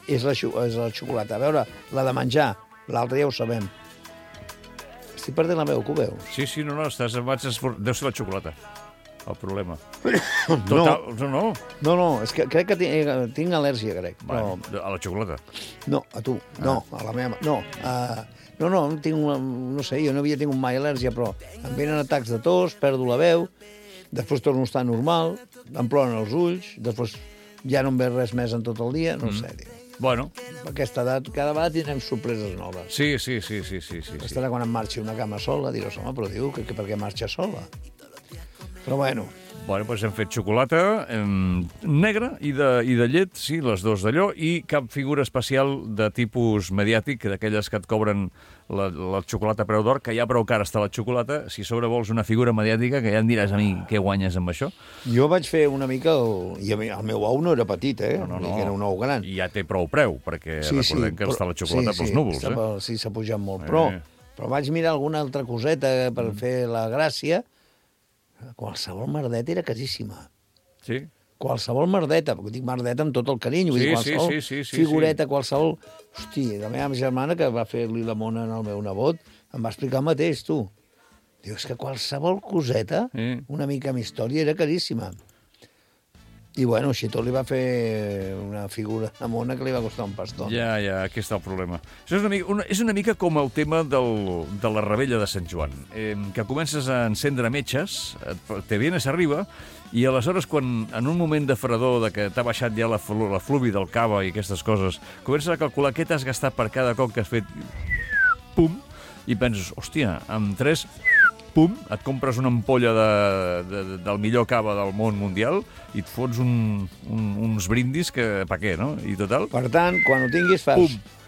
és la xocolata. A veure, la de menjar, l'altra ja ho sabem. Estic perdent la meva, que ho veus? Sí, no, deu ser la xocolata, el problema. No, és que crec que tinc al·lèrgia, crec. A la xocolata? No, a tu, no, a la meva... No, no sé, jo no havia tingut mai al·lèrgia, però em venen atacs de tos, perdo la veu, després torno a estar normal, em ploren els ulls, després ja no em ve res més en tot el dia, no sé, tio. Bueno. A aquesta edat, cada vegada tindrem sorpreses noves. Sí. Estarà quan em marxi una cama sola, diràs, home, però diu que per què marxa sola? Però bueno. Bueno, doncs hem fet xocolata negra i de llet, sí, les dos d'allò, i cap figura especial de tipus mediàtic, d'aquelles que et cobren la xocolata a preu d'or, que ja prou cara està la xocolata, si sobre vols una figura mediàtica, que ja em diràs a mi què guanyes amb això. Jo vaig fer una mica... I el meu ou no era petit, No. Era un ou gran. I ja té prou preu, perquè recordem que està la xocolata pels núvols, Sí, s'ha pujat molt, però vaig mirar alguna altra coseta per fer la gràcia. Qualsevol merdet era casíssima. Sí. Qualsevol merdeta, perquè dic merdeta amb tot el carinyo, qualsevol figureta, qualsevol... Hosti, la meva germana, que va fer-li la mona al meu nebot, em va explicar el mateix, tu. Diu, és que qualsevol coseta, una mica amb història, era caríssima. I, bueno, així tot li va fer una figura de mona que li va costar un pastó. Ja, aquí està el problema. Això és una mica com el tema de la rebella de Sant Joan, que comences a encendre metges, te vienes arriba, i aleshores, quan en un moment de fredor, de que t'ha baixat ja la fluvi del cava i aquestes coses, comences a calcular què t'has gastat per cada cop que has fet pum, i penses, hòstia, amb 3... pum, et compres una ampolla del millor cava del món mundial i et fots uns brindis que... Per què, no? I total... Per tant, quan ho tinguis fas... Pum.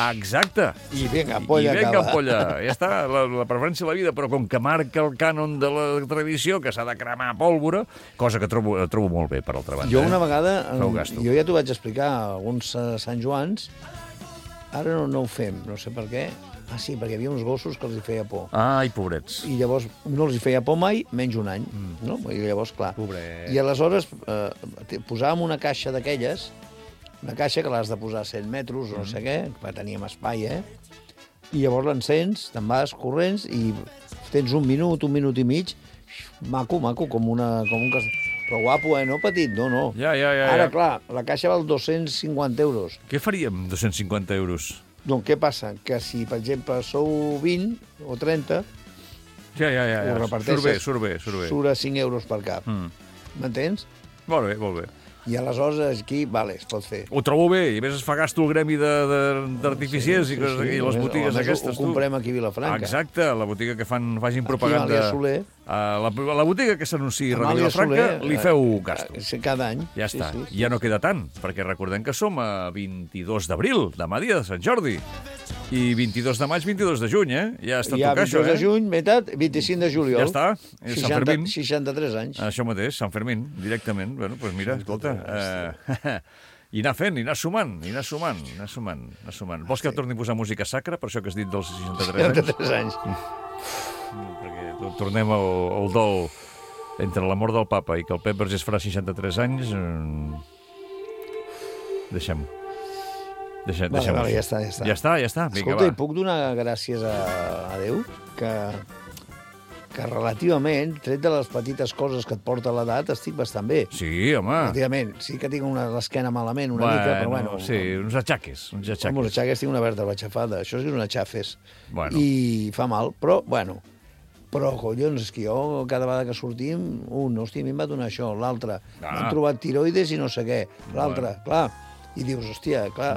Exacte. I vinga, ampolla ampolla. Ja està, la preferència de la vida, però com que marca el cànon de la tradició, que s'ha de cremar pólvora, cosa que trobo molt bé, per altra banda. Jo una vegada, jo ja t'ho vaig explicar, alguns Sant Joans, ara no ho fem, no sé per què. Ah, sí, perquè hi havia uns gossos que els hi feia por. Ai, pobrets. I llavors no els hi feia por mai, menys un any. No? I llavors, clar. Pobret. I aleshores posàvem una caixa d'aquelles, una caixa que l'has de posar a 100 metres, no sé què, que teníem espai, I llavors l'encens, te'n vas corrents i tens un minut i mig, maco, com un però guapo, no petit, no. Ja. Ara, clar, la caixa val 250 euros. Què faríem amb 250 euros? Doncs què passa? Que si, per exemple, sou 20 o 30, ho reparteixes. Surt bé. Surt a 5 euros per cap. M'entens? Molt bé. I aleshores aquí, vale, es pot fer. Ho trobo bé, i a més es fa gasto el gremi d'artificiers i les botigues aquestes. Ho comprem aquí a Vilafranca. Exacte, la botiga que facin propaganda. Aquí a Màlia Soler. La botiga que s'anunciï a Vilafranca, li feu gasto. Cada any. Ja està. Ja no queda tant, perquè recordem que som a 22 d'abril, demà dia de Sant Jordi. I 22 de maig, 22 de juny, Ja està tocar això, 22 de juny, meitat, 25 de juliol. Ja està, Sant Fermín. 63 anys. Això mateix, Sant Fermín, directament. Bueno, doncs mira, escolta, i anar fent, i anar sumant. Vols que torni a posar música sacra, per això que has dit dels 63 anys? 63 anys. Perquè tornem al dol entre la mort del papa i que el Pep Vergés farà 63 anys. Deixem-ho. Vale, ja està. Ja està. Vinga, escolta, i puc donar gràcies a Déu que relativament, tret de les petites coses que et porta l'edat, estic bastant bé. Sí, home. Relativament. Sí que tinc l'esquena malament una mica, però bueno. Sí, uns atxaques. Uns atxaques, tinc una vèrtebra aixafada. Això és una xafes. Bueno. I fa mal, però, bueno. Però, collons, és que jo, cada vegada que sortim, hòstia, a mi em va donar això, l'altre. M'han trobat tiroides i no sé què. L'altre, clar. I dius, hòstia, clar...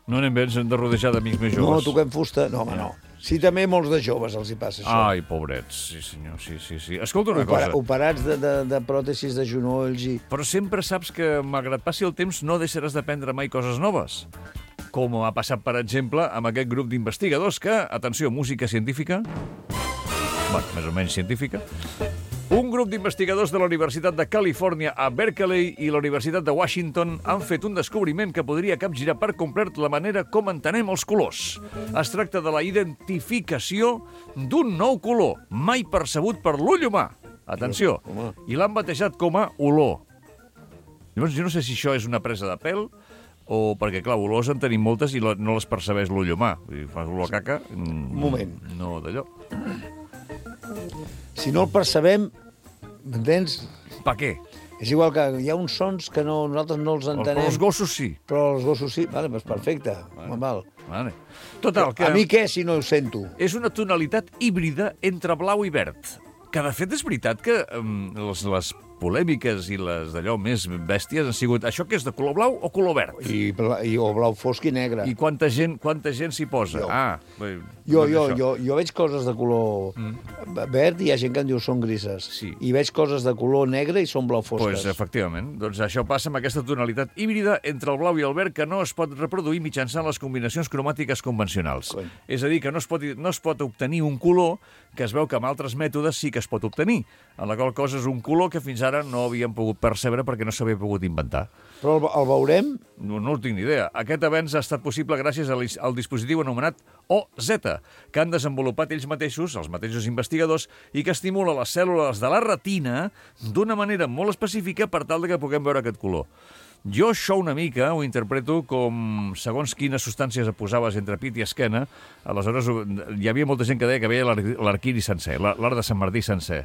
No anem bé, ens hem de rodejar d'amics més joves. No, toquem fusta. No, home, no. Sí, també molts de joves els hi passa això. Ai, pobrets, sí senyor, sí. Escolta una cosa. Operats de pròtesis de genolls i... Però sempre saps que, malgrat passi el temps, no deixaràs d'aprendre mai coses noves. Com ha passat, per exemple, amb aquest grup d'investigadors que, atenció, música científica... Bueno, més o menys científica... Un grup d'investigadors de la Universitat de Califòrnia a Berkeley i la Universitat de Washington han fet un descobriment que podria capgirar per complet la manera com entenem els colors. Es tracta de la identificació d'un nou color, mai percebut per l'ull humà. Atenció, i l'han batejat com a olor. Llavors, jo no sé si això és una presa de pèl o perquè, clar, olors en tenim moltes i no les percebeix l'ull humà. Fas olor a caca... Un moment. No, d'allò. Si no el percebem, m'entens? Per què? És igual que hi ha uns sons que nosaltres no els entenem. Però els gossos sí. Però els gossos sí. Vale, doncs perfecte. Vale. Total, que... A mi què, si no ho sento? És una tonalitat híbrida entre blau i verd. Que, de fet, és veritat que les polèmiques i les d'allò més bèsties han sigut això que és de color blau o color verd? O blau fosc i negre. I quanta gent s'hi posa? Jo veig coses de color verd i hi ha gent que em diu són grises. Sí. I veig coses de color negre i són blau fosques. Pues, efectivament. Doncs això passa amb aquesta tonalitat híbrida entre el blau i el verd que no es pot reproduir mitjançant les combinacions cromàtiques convencionals. És a dir, que no es pot obtenir un color que es veu que amb altres mètodes sí que es pot obtenir. En la qual cosa és un color que fins ara no havíem pogut percebre perquè no s'havia pogut inventar. Però el veurem? No tinc ni idea. Aquest avenç ha estat possible gràcies al dispositiu anomenat OZ, que han desenvolupat ells mateixos, els mateixos investigadors, i que estimula les cèl·lules de la retina d'una manera molt específica per tal que puguem veure aquest color. Jo això una mica ho interpreto com segons quines substàncies posaves entre pit i esquena, aleshores hi havia molta gent que deia que veia l'arquiri sencer, l'art de Sant Martí sencer.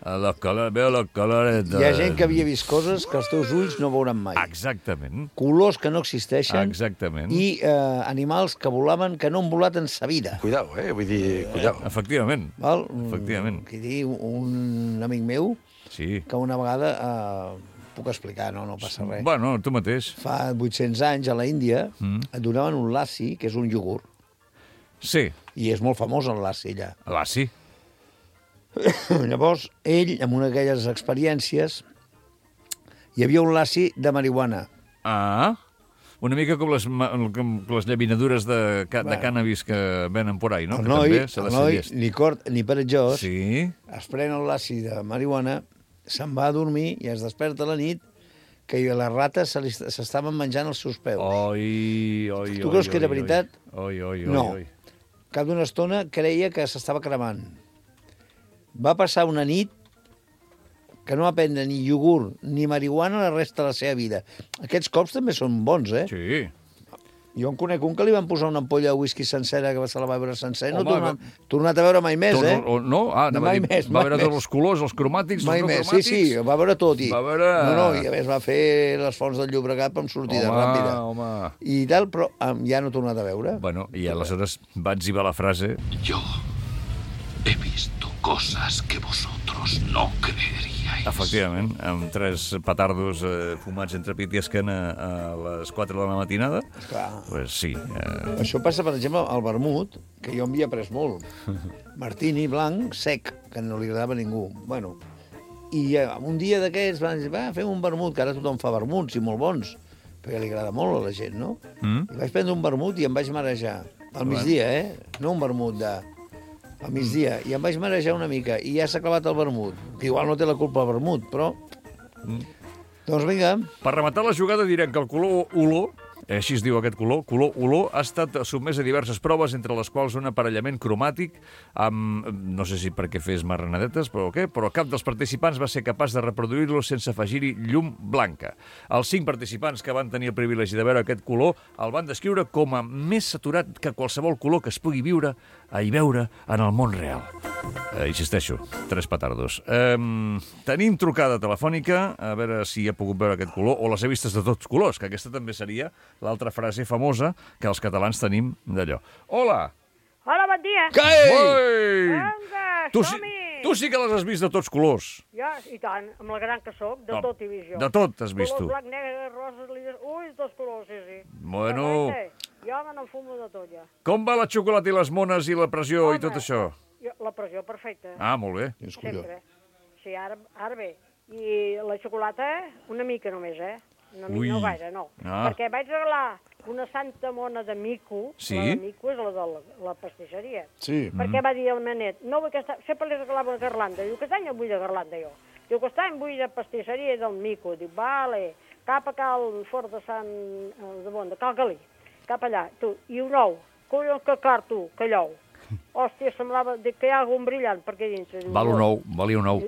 Veo los colores... Hi ha gent que havia vist coses que els teus ulls no veuran mai. Exactament. Colors que no existeixen. Exactament. I animals que volaven que no han volat en sa vida. Cuidao, vull dir, cuidao. Efectivament. Val? Efectivament. Aquí diu un amic meu que una vegada... puc explicar, no passa res. Bueno, tu mateix. Fa 800 anys, a la Índia, et donaven un lassi, que és un iogurt. Sí. I és molt famós el lassi, allà. Lassi? Llavors, ell, amb una d'aquelles experiències, hi havia un lassi de marihuana. Ah, una mica com les llaminadures de cànnabis que venen por ahí, no? El noi, ni cort ni perejós, es pren el lassi de marihuana, se'n va a dormir i es desperta a la nit que les rates s'estaven menjant els seus peus. Tu creus que era veritat? No. Cap d'una estona creia que s'estava cremant. Va passar una nit que no va prendre ni iogurt ni marihuana la resta de la seva vida. Aquests cops també són bons, eh? Sí. Jo en conec un que li van posar una ampolla de whisky sencera que se la va veure sencer. No ha tornat a veure mai més, eh? No? Mai més. Va veure tots els colors, els cromàtics, els no cromàtics? Sí, va veure tot. Va veure... No, i a més va fer les fonts del Llobregat amb sortida ràpida. I tal, però ja no ha tornat a veure. Bueno, i aleshores va etzibar la frase... Yo he visto cosas que vosotros no creeríais. Efectivament, amb 3 petardos fumats entre pit i esquena a les 4 de la matinada. Pues sí. Això passa, per exemple, al vermut, que jo havia pres molt. Martini blanc, sec, que no li agradava a ningú. Bueno, i un dia d'aquests van dir, fem un vermut, que ara tothom fa vermuts i molt bons, perquè li agrada molt a la gent, no? I vaig prendre un vermut i em vaig marejar. Al migdia, no un vermut al migdia, i em vaig marejar una mica, i ja s'ha clavat el vermut. Igual no té la culpa el vermut, però... Doncs vinga. Per rematar la jugada direm que el color olor, així es diu aquest color olor, ha estat sotmès a diverses proves, entre les quals un aparellament cromàtic amb, no sé si perquè fes marranadetes, però cap dels participants va ser capaç de reproduir-lo sense afegir-hi llum blanca. Els 5 participants que van tenir el privilegi de veure aquest color el van descriure com a més saturat que qualsevol color que es pugui viure i veure en el món real. Insisteixo, 3 petardos. Tenim trucada telefònica, a veure si ha pogut veure aquest color, o les he vistes de tots colors, que aquesta també seria l'altra frase famosa que els catalans tenim d'allò. Hola! Hola, bon dia! Vinga, tu sí que les has vist de tots colors. Ja, i tant, amb la gran que soc, de tot he vist jo. De tot has vist tu. Color blanc, negre, rosa, liles... Ui, tots colors, sí. Bueno... Jo me n'enfumo de tot, ja. Com va la xocolata i les mones i la pressió i tot això? La pressió, perfecta. Ah, molt bé. Sempre. Sí, ara bé. I la xocolata, una mica només, No gaire, no. Perquè vaig regalar una santa mona de mico. Sí? La de mico és la de la pastisseria. Sí. Perquè va dir el meu net, no vull sempre li regalava una garlanda. Diu, aquest any no vull de garlanda, jo. Diu, aquest any vull de pastisseria del mico. Diu, vale, cap a Cal Fort de Sant... de Cal Galí. Cap allà, tu. I un ou. Collons que car, tu, que lleu. Hòstia, semblava que hi ha algun brillant per aquí dintre. Valia un ou.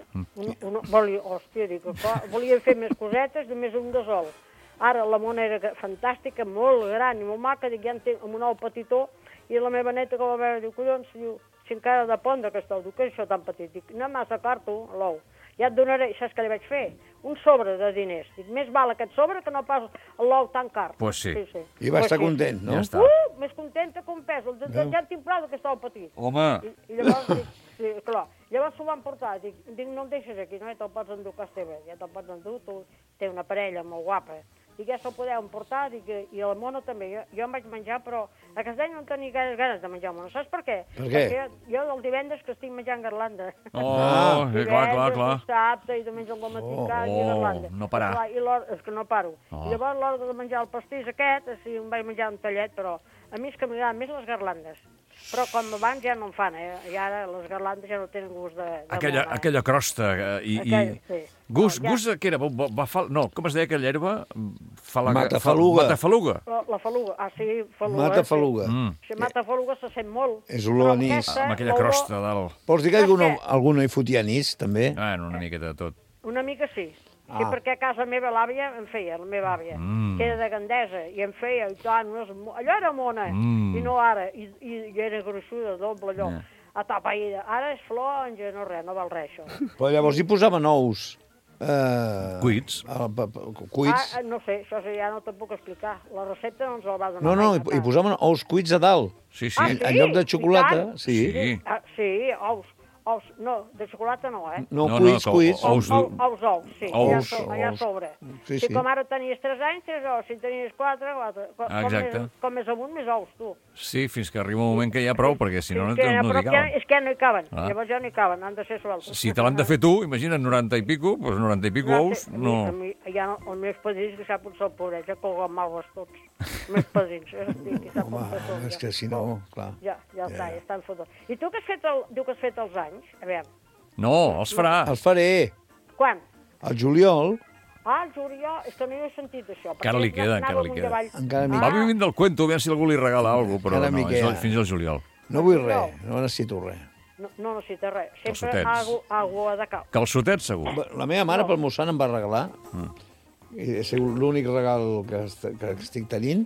Hòstia, dic, volien fer més cosetes, només un de sol. Ara la mona era fantàstica, molt gran i molt maca, dic, ja en té amb un ou petitó, i la meva neta que va veure, diu, collons, diu, si encara ha de pondre aquest ou, diu, què és això tan petit? Dic, no massa car, tu, l'ou. Ja et donaré, saps què li vaig fer? Un sobre de diners. Dic, més val aquest sobre que no pas l'ou tan car. Pues sí. I va estar content, no? Ja està. Més contenta que un pes. Ja en tinc prou d'aquest ou petit. Home! I llavors, dic, sí, clar, llavors s'ho van portar. Dic, no el deixes aquí, no? Ja te'l pots endur a casa teva. Ja te'l pots endur, tu té una parella molt guapa. Dic, ja se'l podeu emportar, dic, i la mona també. Jo em vaig menjar, però a casa no tenia gaire ganes de menjar mona. Saps per què? Per què? Perquè jo del divendres que estic menjant garlanda. Clar. Dissabte i diumenge al matí i garlanda. No parar. És que no paro. I llavors, a l'hora de menjar el pastís aquest, així em vaig menjar un tallet, però A mi és que m'agraden més les garlandes. Però com abans ja no en fan, I ara les garlandes ja no tenen gust de aquella crosta i... Gust, què era? No, com es deia aquella herba? Matafaluga. Matafaluga. La faluga, sí, faluga. Matafaluga. Si matafaluga se sent molt. És olor anís. Amb aquella crosta a dalt. Vols dir que algun hi fotia anís, també? Una miqueta de tot. Una mica sí. Sí, perquè a casa meva l'àvia em feia, la meva àvia, que era de Gandesa, i em feia, i tant, allò era mona, i no ara, i era gruixuda, doble allò, atapeïda. Ara és flor, no res, no val res, això. Però llavors hi posaven ous. Cuits. Cuits. No sé, això ja no te'n puc explicar. La recepta no ens la va donar. No, hi posaven ous cuits a dalt. Sí. En lloc de xocolata, sí. Sí, ous. No, de xocolata no, No, cuits. Ous, sí, allà sobre. Sí. Si com ara tenies 3 anys, 3 ous, si tenies 4, 4. Exacte. Com més amunt, més ous, tu. Sí, fins que arriba un moment que hi ha prou, perquè si no, no t'hi caben. És que no hi caben, llavors ja no hi caben, han de ser sueltes. Si te l'han de fer tu, imagina't 90 i pico, doncs 90 i pico ous, no... Els meus padrins, que sap on se'l pobret, ja colguen malves tots. Els meus padrins, home, és que si no, clar. Ja està, ja estan fotos. I tu que has fet, diu que has fet els anys? A veure. No, els farà. Els faré. Quan? Al juliol. El juliol, és que no hi he sentit això. Encara li queda. Va vivint del cuento, a veure si algú li regala alguna cosa, però no, és fins al juliol. No vull res, no necessito res. No necessita res. Sempre aigua de cal. Calçotets, segur. La meva mare pel meu sant em va regalar, és l'únic regal que estic tenint,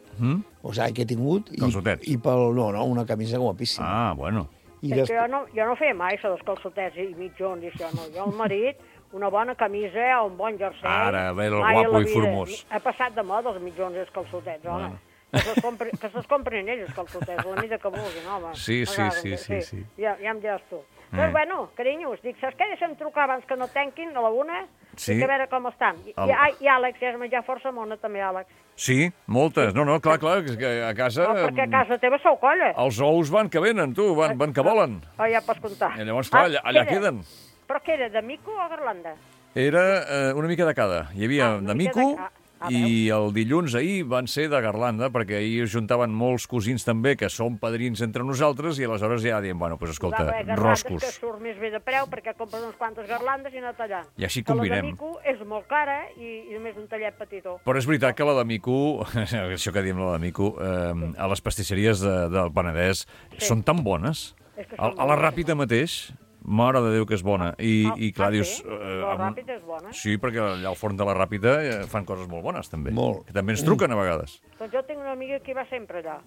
o sigui, que he tingut. Calçotets. I una camisa guapíssima. Ah, bueno. És que jo no feia mai això dels calçotets i mitjons i això, no. Jo, el marit, una bona camisa, un bon jersei... Ara, ve el guapo i formós. Ha passat de moda els mitjons i els calçotets, home. Que se'ls comprin ells, els calçotets, la mida que vulguin, home. Sí. Ja em diràs tu. Però, bueno, carinyos, dic, saps què? Deixa'm trucar abans que no tanquin a la 1, i a veure com estan. I Àlex, ja has menjat força mona, també, Àlex. Sí, moltes. No, clar, que a casa... No, perquè a casa teva sou colla. Els ous van que venen, tu, van que volen. Ja pots comptar. I llavors, clar, allà queden. Però què era, de mico o garlanda? Era una mica de cada. Hi havia de mico... I el dilluns ahir van ser de garlanda, perquè ahir es juntaven molts cosins també, que són padrins entre nosaltres, i aleshores ja diem, bueno, doncs escolta, roscos. Que surt més bé de preu, perquè compres uns quantes garlandes i anar tallant. I així combinem. La de mico és molt cara i només un tallet petitó. Però és veritat que la de mico, això que diem la de mico, a les pastisseries del Penedès són tan bones. A la Ràpita mateix... Mare de Déu, que és bona. I clar, dius... La Ràpita és bona? Sí, perquè allà al forn de la Ràpita fan coses molt bones, també. Molt. Que també ens truquen a vegades. Doncs jo tinc una amiga que va sempre allà.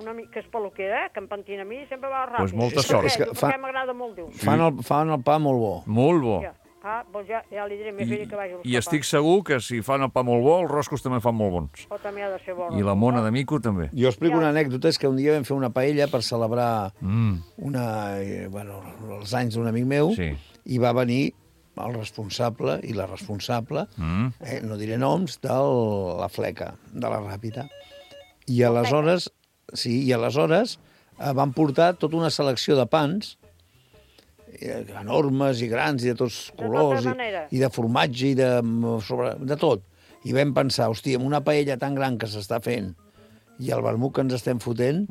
Una amiga que és peluquera, que em pentina a mi i sempre va a la Ràpita. Doncs molta sort. Perquè m'agrada molt, diu. Fan el pa molt bo. Molt bo. Doncs ja li diré a mi filla que vagi a buscar I estic segur que si fan el pa molt bo, els roscos també fan molt bons. O també ha de ser bo. I la mona de mico també. Jo explico una anècdota, és que un dia vam fer una paella per celebrar els anys d'un amic meu, i va venir el responsable i la responsable, no diré noms, de la fleca, de la Ràpita. I aleshores van portar tota una selecció de pans, enormes i grans i de tots colors, i de formatge i de tot. I vam pensar, hòstia, amb una paella tan gran que s'està fent i el vermut que ens estem fotent,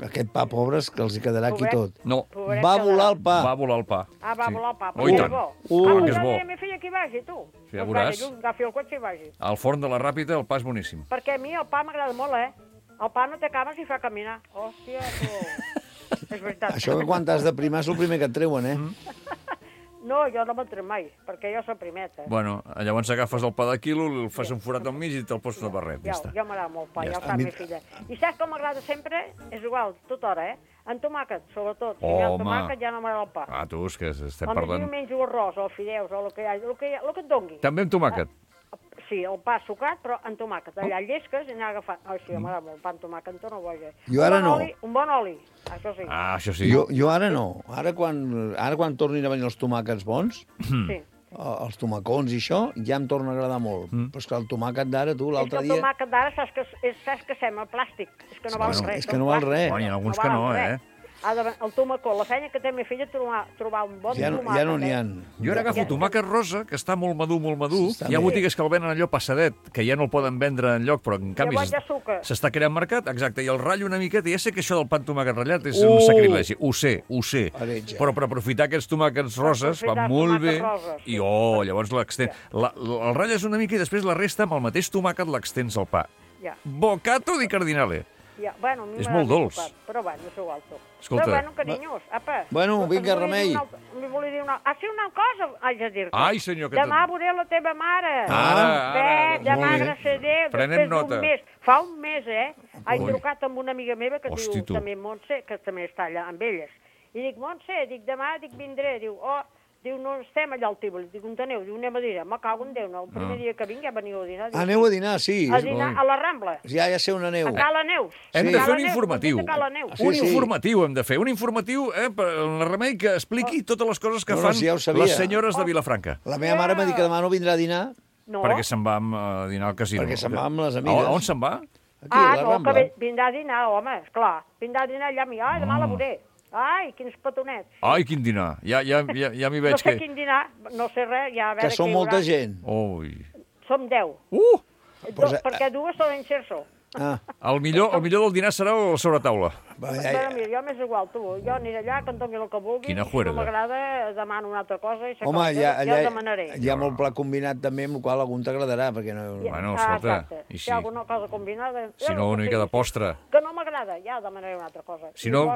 aquest pa, pobres, que els hi quedarà aquí tot. No. Va volar el pa. Va volar el pa. Va volar el pa. Oh, i tant. Clar que és bo. A mi filla que hi vagi, tu. Ja veuràs. Agafi el cotxe i vagi. Al forn de la Ràpita el pa és boníssim. Perquè a mi el pa m'agrada molt, El pa no t'acabes i fa caminar. Hòstia, tu... És veritat. Això que quan t'has de primar és el primer que et treuen, No, jo no me'n trec mai, perquè jo soc primeta. Bueno, llavors agafes el pa de quilo, el fas un forat al mig i te'l poses de barret. Jo m'agrada molt pa, ja ho sap mi filla. I saps com m'agrada sempre? És igual, tota hora, En tomàquet, sobretot. Si hi ha tomàquet ja no m'agrada el pa. Tu, és que estem parlant... O menjo arròs, o fideus, o el que et dongui. També amb tomàquet? Sí, el pa sucat, però amb tomàquet. Allà llesques i anar agafant... Sí, m'agrada molt, pa amb tomàquet, en torno boja. Jo ara no. Un bon oli, això sí. Això sí. Jo ara no. Ara quan tornin a venir els tomàquets bons, els tomacons i això, ja em torna a agradar molt. Però és que el tomàquet d'ara, tu, l'altre dia... És que el tomàquet d'ara saps que sembla plàstic. És que no val res. És que no val res. Hi ha alguns que no, El tomacó, la feina que té ma filla trobar un bon tomàquet. Ja no n'hi ha. Jo ara agafo tomàquet rosa, que està molt madur. Hi ha botigues que el venen allò passadet, que ja no el poden vendre enlloc, però en canvi s'està creant mercat, exacte, i el ratllo una miqueta. Ja sé que això del pa amb tomàquet ratllat és un sacrilegi, ho sé. Però per aprofitar aquests tomàquets roses va molt bé. I llavors l'extens. El ratlles una mica i després la resta amb el mateix tomàquet l'extens al pa. Bocato di cardinale. És molt dolç. Però bueno, és igual tot. Escolta. Però bueno, carinyos, apa. Bueno, vinga, Remei. Li volia dir una cosa, haig de dir-te. Ai, senyor, que... Demà veuré la teva mare. Ara. Demà gràcies a Déu. Prenem nota. Fa un mes, he trucat amb una amiga meva que diu també Montse, que també està allà amb elles. I dic, Montse, demà vindré. Diu, no estem allà al Tívoli. Dic, on aneu? Diu, anem a dinar. Me cago en Déu, no? El primer dia que vinc ja veniu a dinar. Aneu a dinar, sí. A dinar a la Rambla. Ja sé on aneu. A Cala Neus. Hem de fer un informatiu. Un informatiu hem de fer. Un informatiu, per la Remei, que expliqui totes les coses que fan les senyores de Vilafranca. La meva mare m'ha dit que demà no vindrà a dinar. No. Perquè se'n va a dinar al casino. Perquè se'n va amb les amigues. On se'n va? Aquí, a la Rambla. Que vindrà a dinar, home, esclar. Vindrà a dinar allà a mi. Demà la veuré. Ai, quins petonets. Ai, quin dinar. Ja m'hi veig que... No sé quin dinar, no sé res, ja a veure... Que som molta gent. Som 10. Perquè dues són en Xerso. El millor del dinar serà la sobretaula. Mira, jo m'és igual, tu. Jo aniré allà, que em doni el que vulgui. Quina juerga. Si no m'agrada, demano una altra cosa. Home, allà hi ha molt pla combinat també, amb el qual algun t'agradarà, perquè no... Bueno, escolta, i si hi ha alguna cosa combinada... Si no, una mica de postre. Que no m'agrada, ja demanaré una altra cosa. Si no...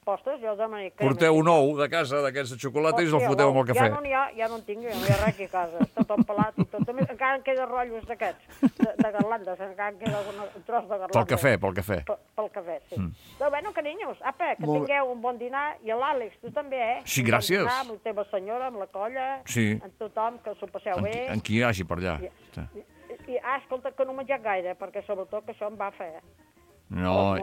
Postres, jo demanaré... Porteu un ou de casa, d'aquests de xocolata, i us el foteu amb el cafè. Ja no en tinc, ja no hi ha res aquí a casa. Està tot pelat i tot. Encara en queda rotllos d'aquests, de garlandes. Encara en queda un tros de garlandes. Pel cafè. Pel cafè, sí. Però bueno, carinyos, apa, que tingueu un bon dinar. I l'Àlex, tu també, Sí, gràcies. Amb la teva senyora, amb la colla, amb tothom, que s'ho passeu bé. En qui hi hagi per allà. Escolta, que no he menjat gaire, perquè sobretot que això em va fer... No,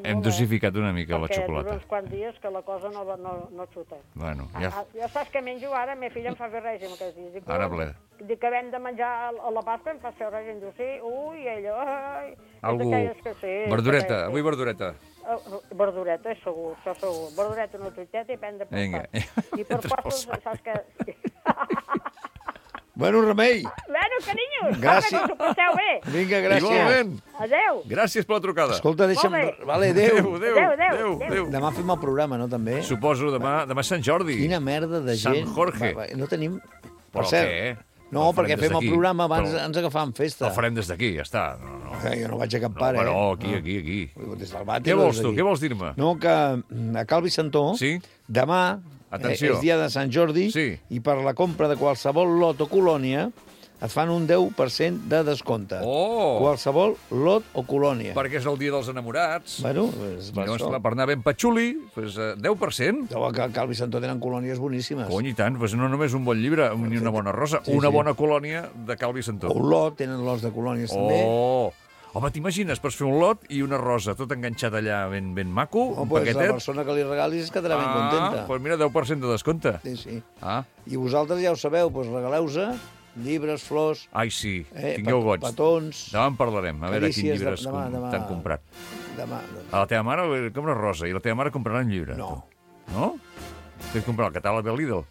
hem dosificat una mica la xocolata. Perquè uns quants dies que la cosa no xuta. Bueno, ja... Ja saps què menjo ara? Meva filla em fa fer règim aquests dies. Ara ple. Dic que hem de menjar a la Pasqua, em fa fer règim. Diu, sí, ella... Algú... Verdureta, avui verdureta. Verdureta, és segur, això segur. Verdureta, una truiteta i prendre per part. I per postres, saps què... Bueno, Remei. Bueno, carinyos, gràcies. Que us ho passeu bé. Vinga, gràcies. Igualment. Adéu. Gràcies per la trucada. Escolta, deixa'm... Vale, adéu. Demà fem el programa, no, també? Suposo, demà és Sant Jordi. Quina merda de gent. Sant Jorge. No tenim... Per cert. No, perquè fem el programa abans ens agafàvem festa. El farem des d'aquí, ja està. Jo no vaig acampar, No, aquí. Des del vàter. Què vols tu? Què vols dir-me? No, que a Cal Vicentó, demà és dia de Sant Jordi i per la compra de qualsevol lot o colònia et fan un 10% de descompte. Qualsevol lot o colònia. Perquè és el dia dels enamorats. Bueno, llavors, per anar ben patxuli, 10%. A Cal Vicentó tenen colònies boníssimes. Cony, i tant, no només un bon llibre ni una bona rosa, una bona colònia de Cal Vicentó. O un lot, tenen lots de colònies també. Home, t'imagines, pots fer un lot i una rosa, tot enganxat allà ben maco, un paquetet. La persona que li regalis es quedarà ben contenta. Doncs mira, 10% de descompte. Sí. I vosaltres ja ho sabeu, regaleu-se llibres, flors... Ai, sí, tingueu goig. Petons... Demà en parlarem, a veure quins llibres t'han comprat. Demà. A la teva mare li compra rosa i la teva mare comprarà un llibre. No. No? T'has comprat el catàleg de Lidl?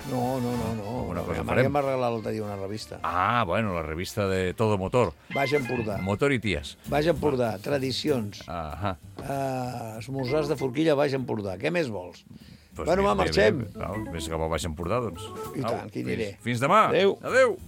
No. La meva mare em va regalar l'altre dia una revista. Bueno, la revista de Todo Motor. Baix Empordà. Motor i ties. Baix Empordà, tradicions. Esmorzars de forquilla, Baix Empordà. Què més vols? Bueno, va, marxem. Més cap a Baix Empordà, doncs. I tant, que hi aniré. Fins demà. Adéu. Adéu.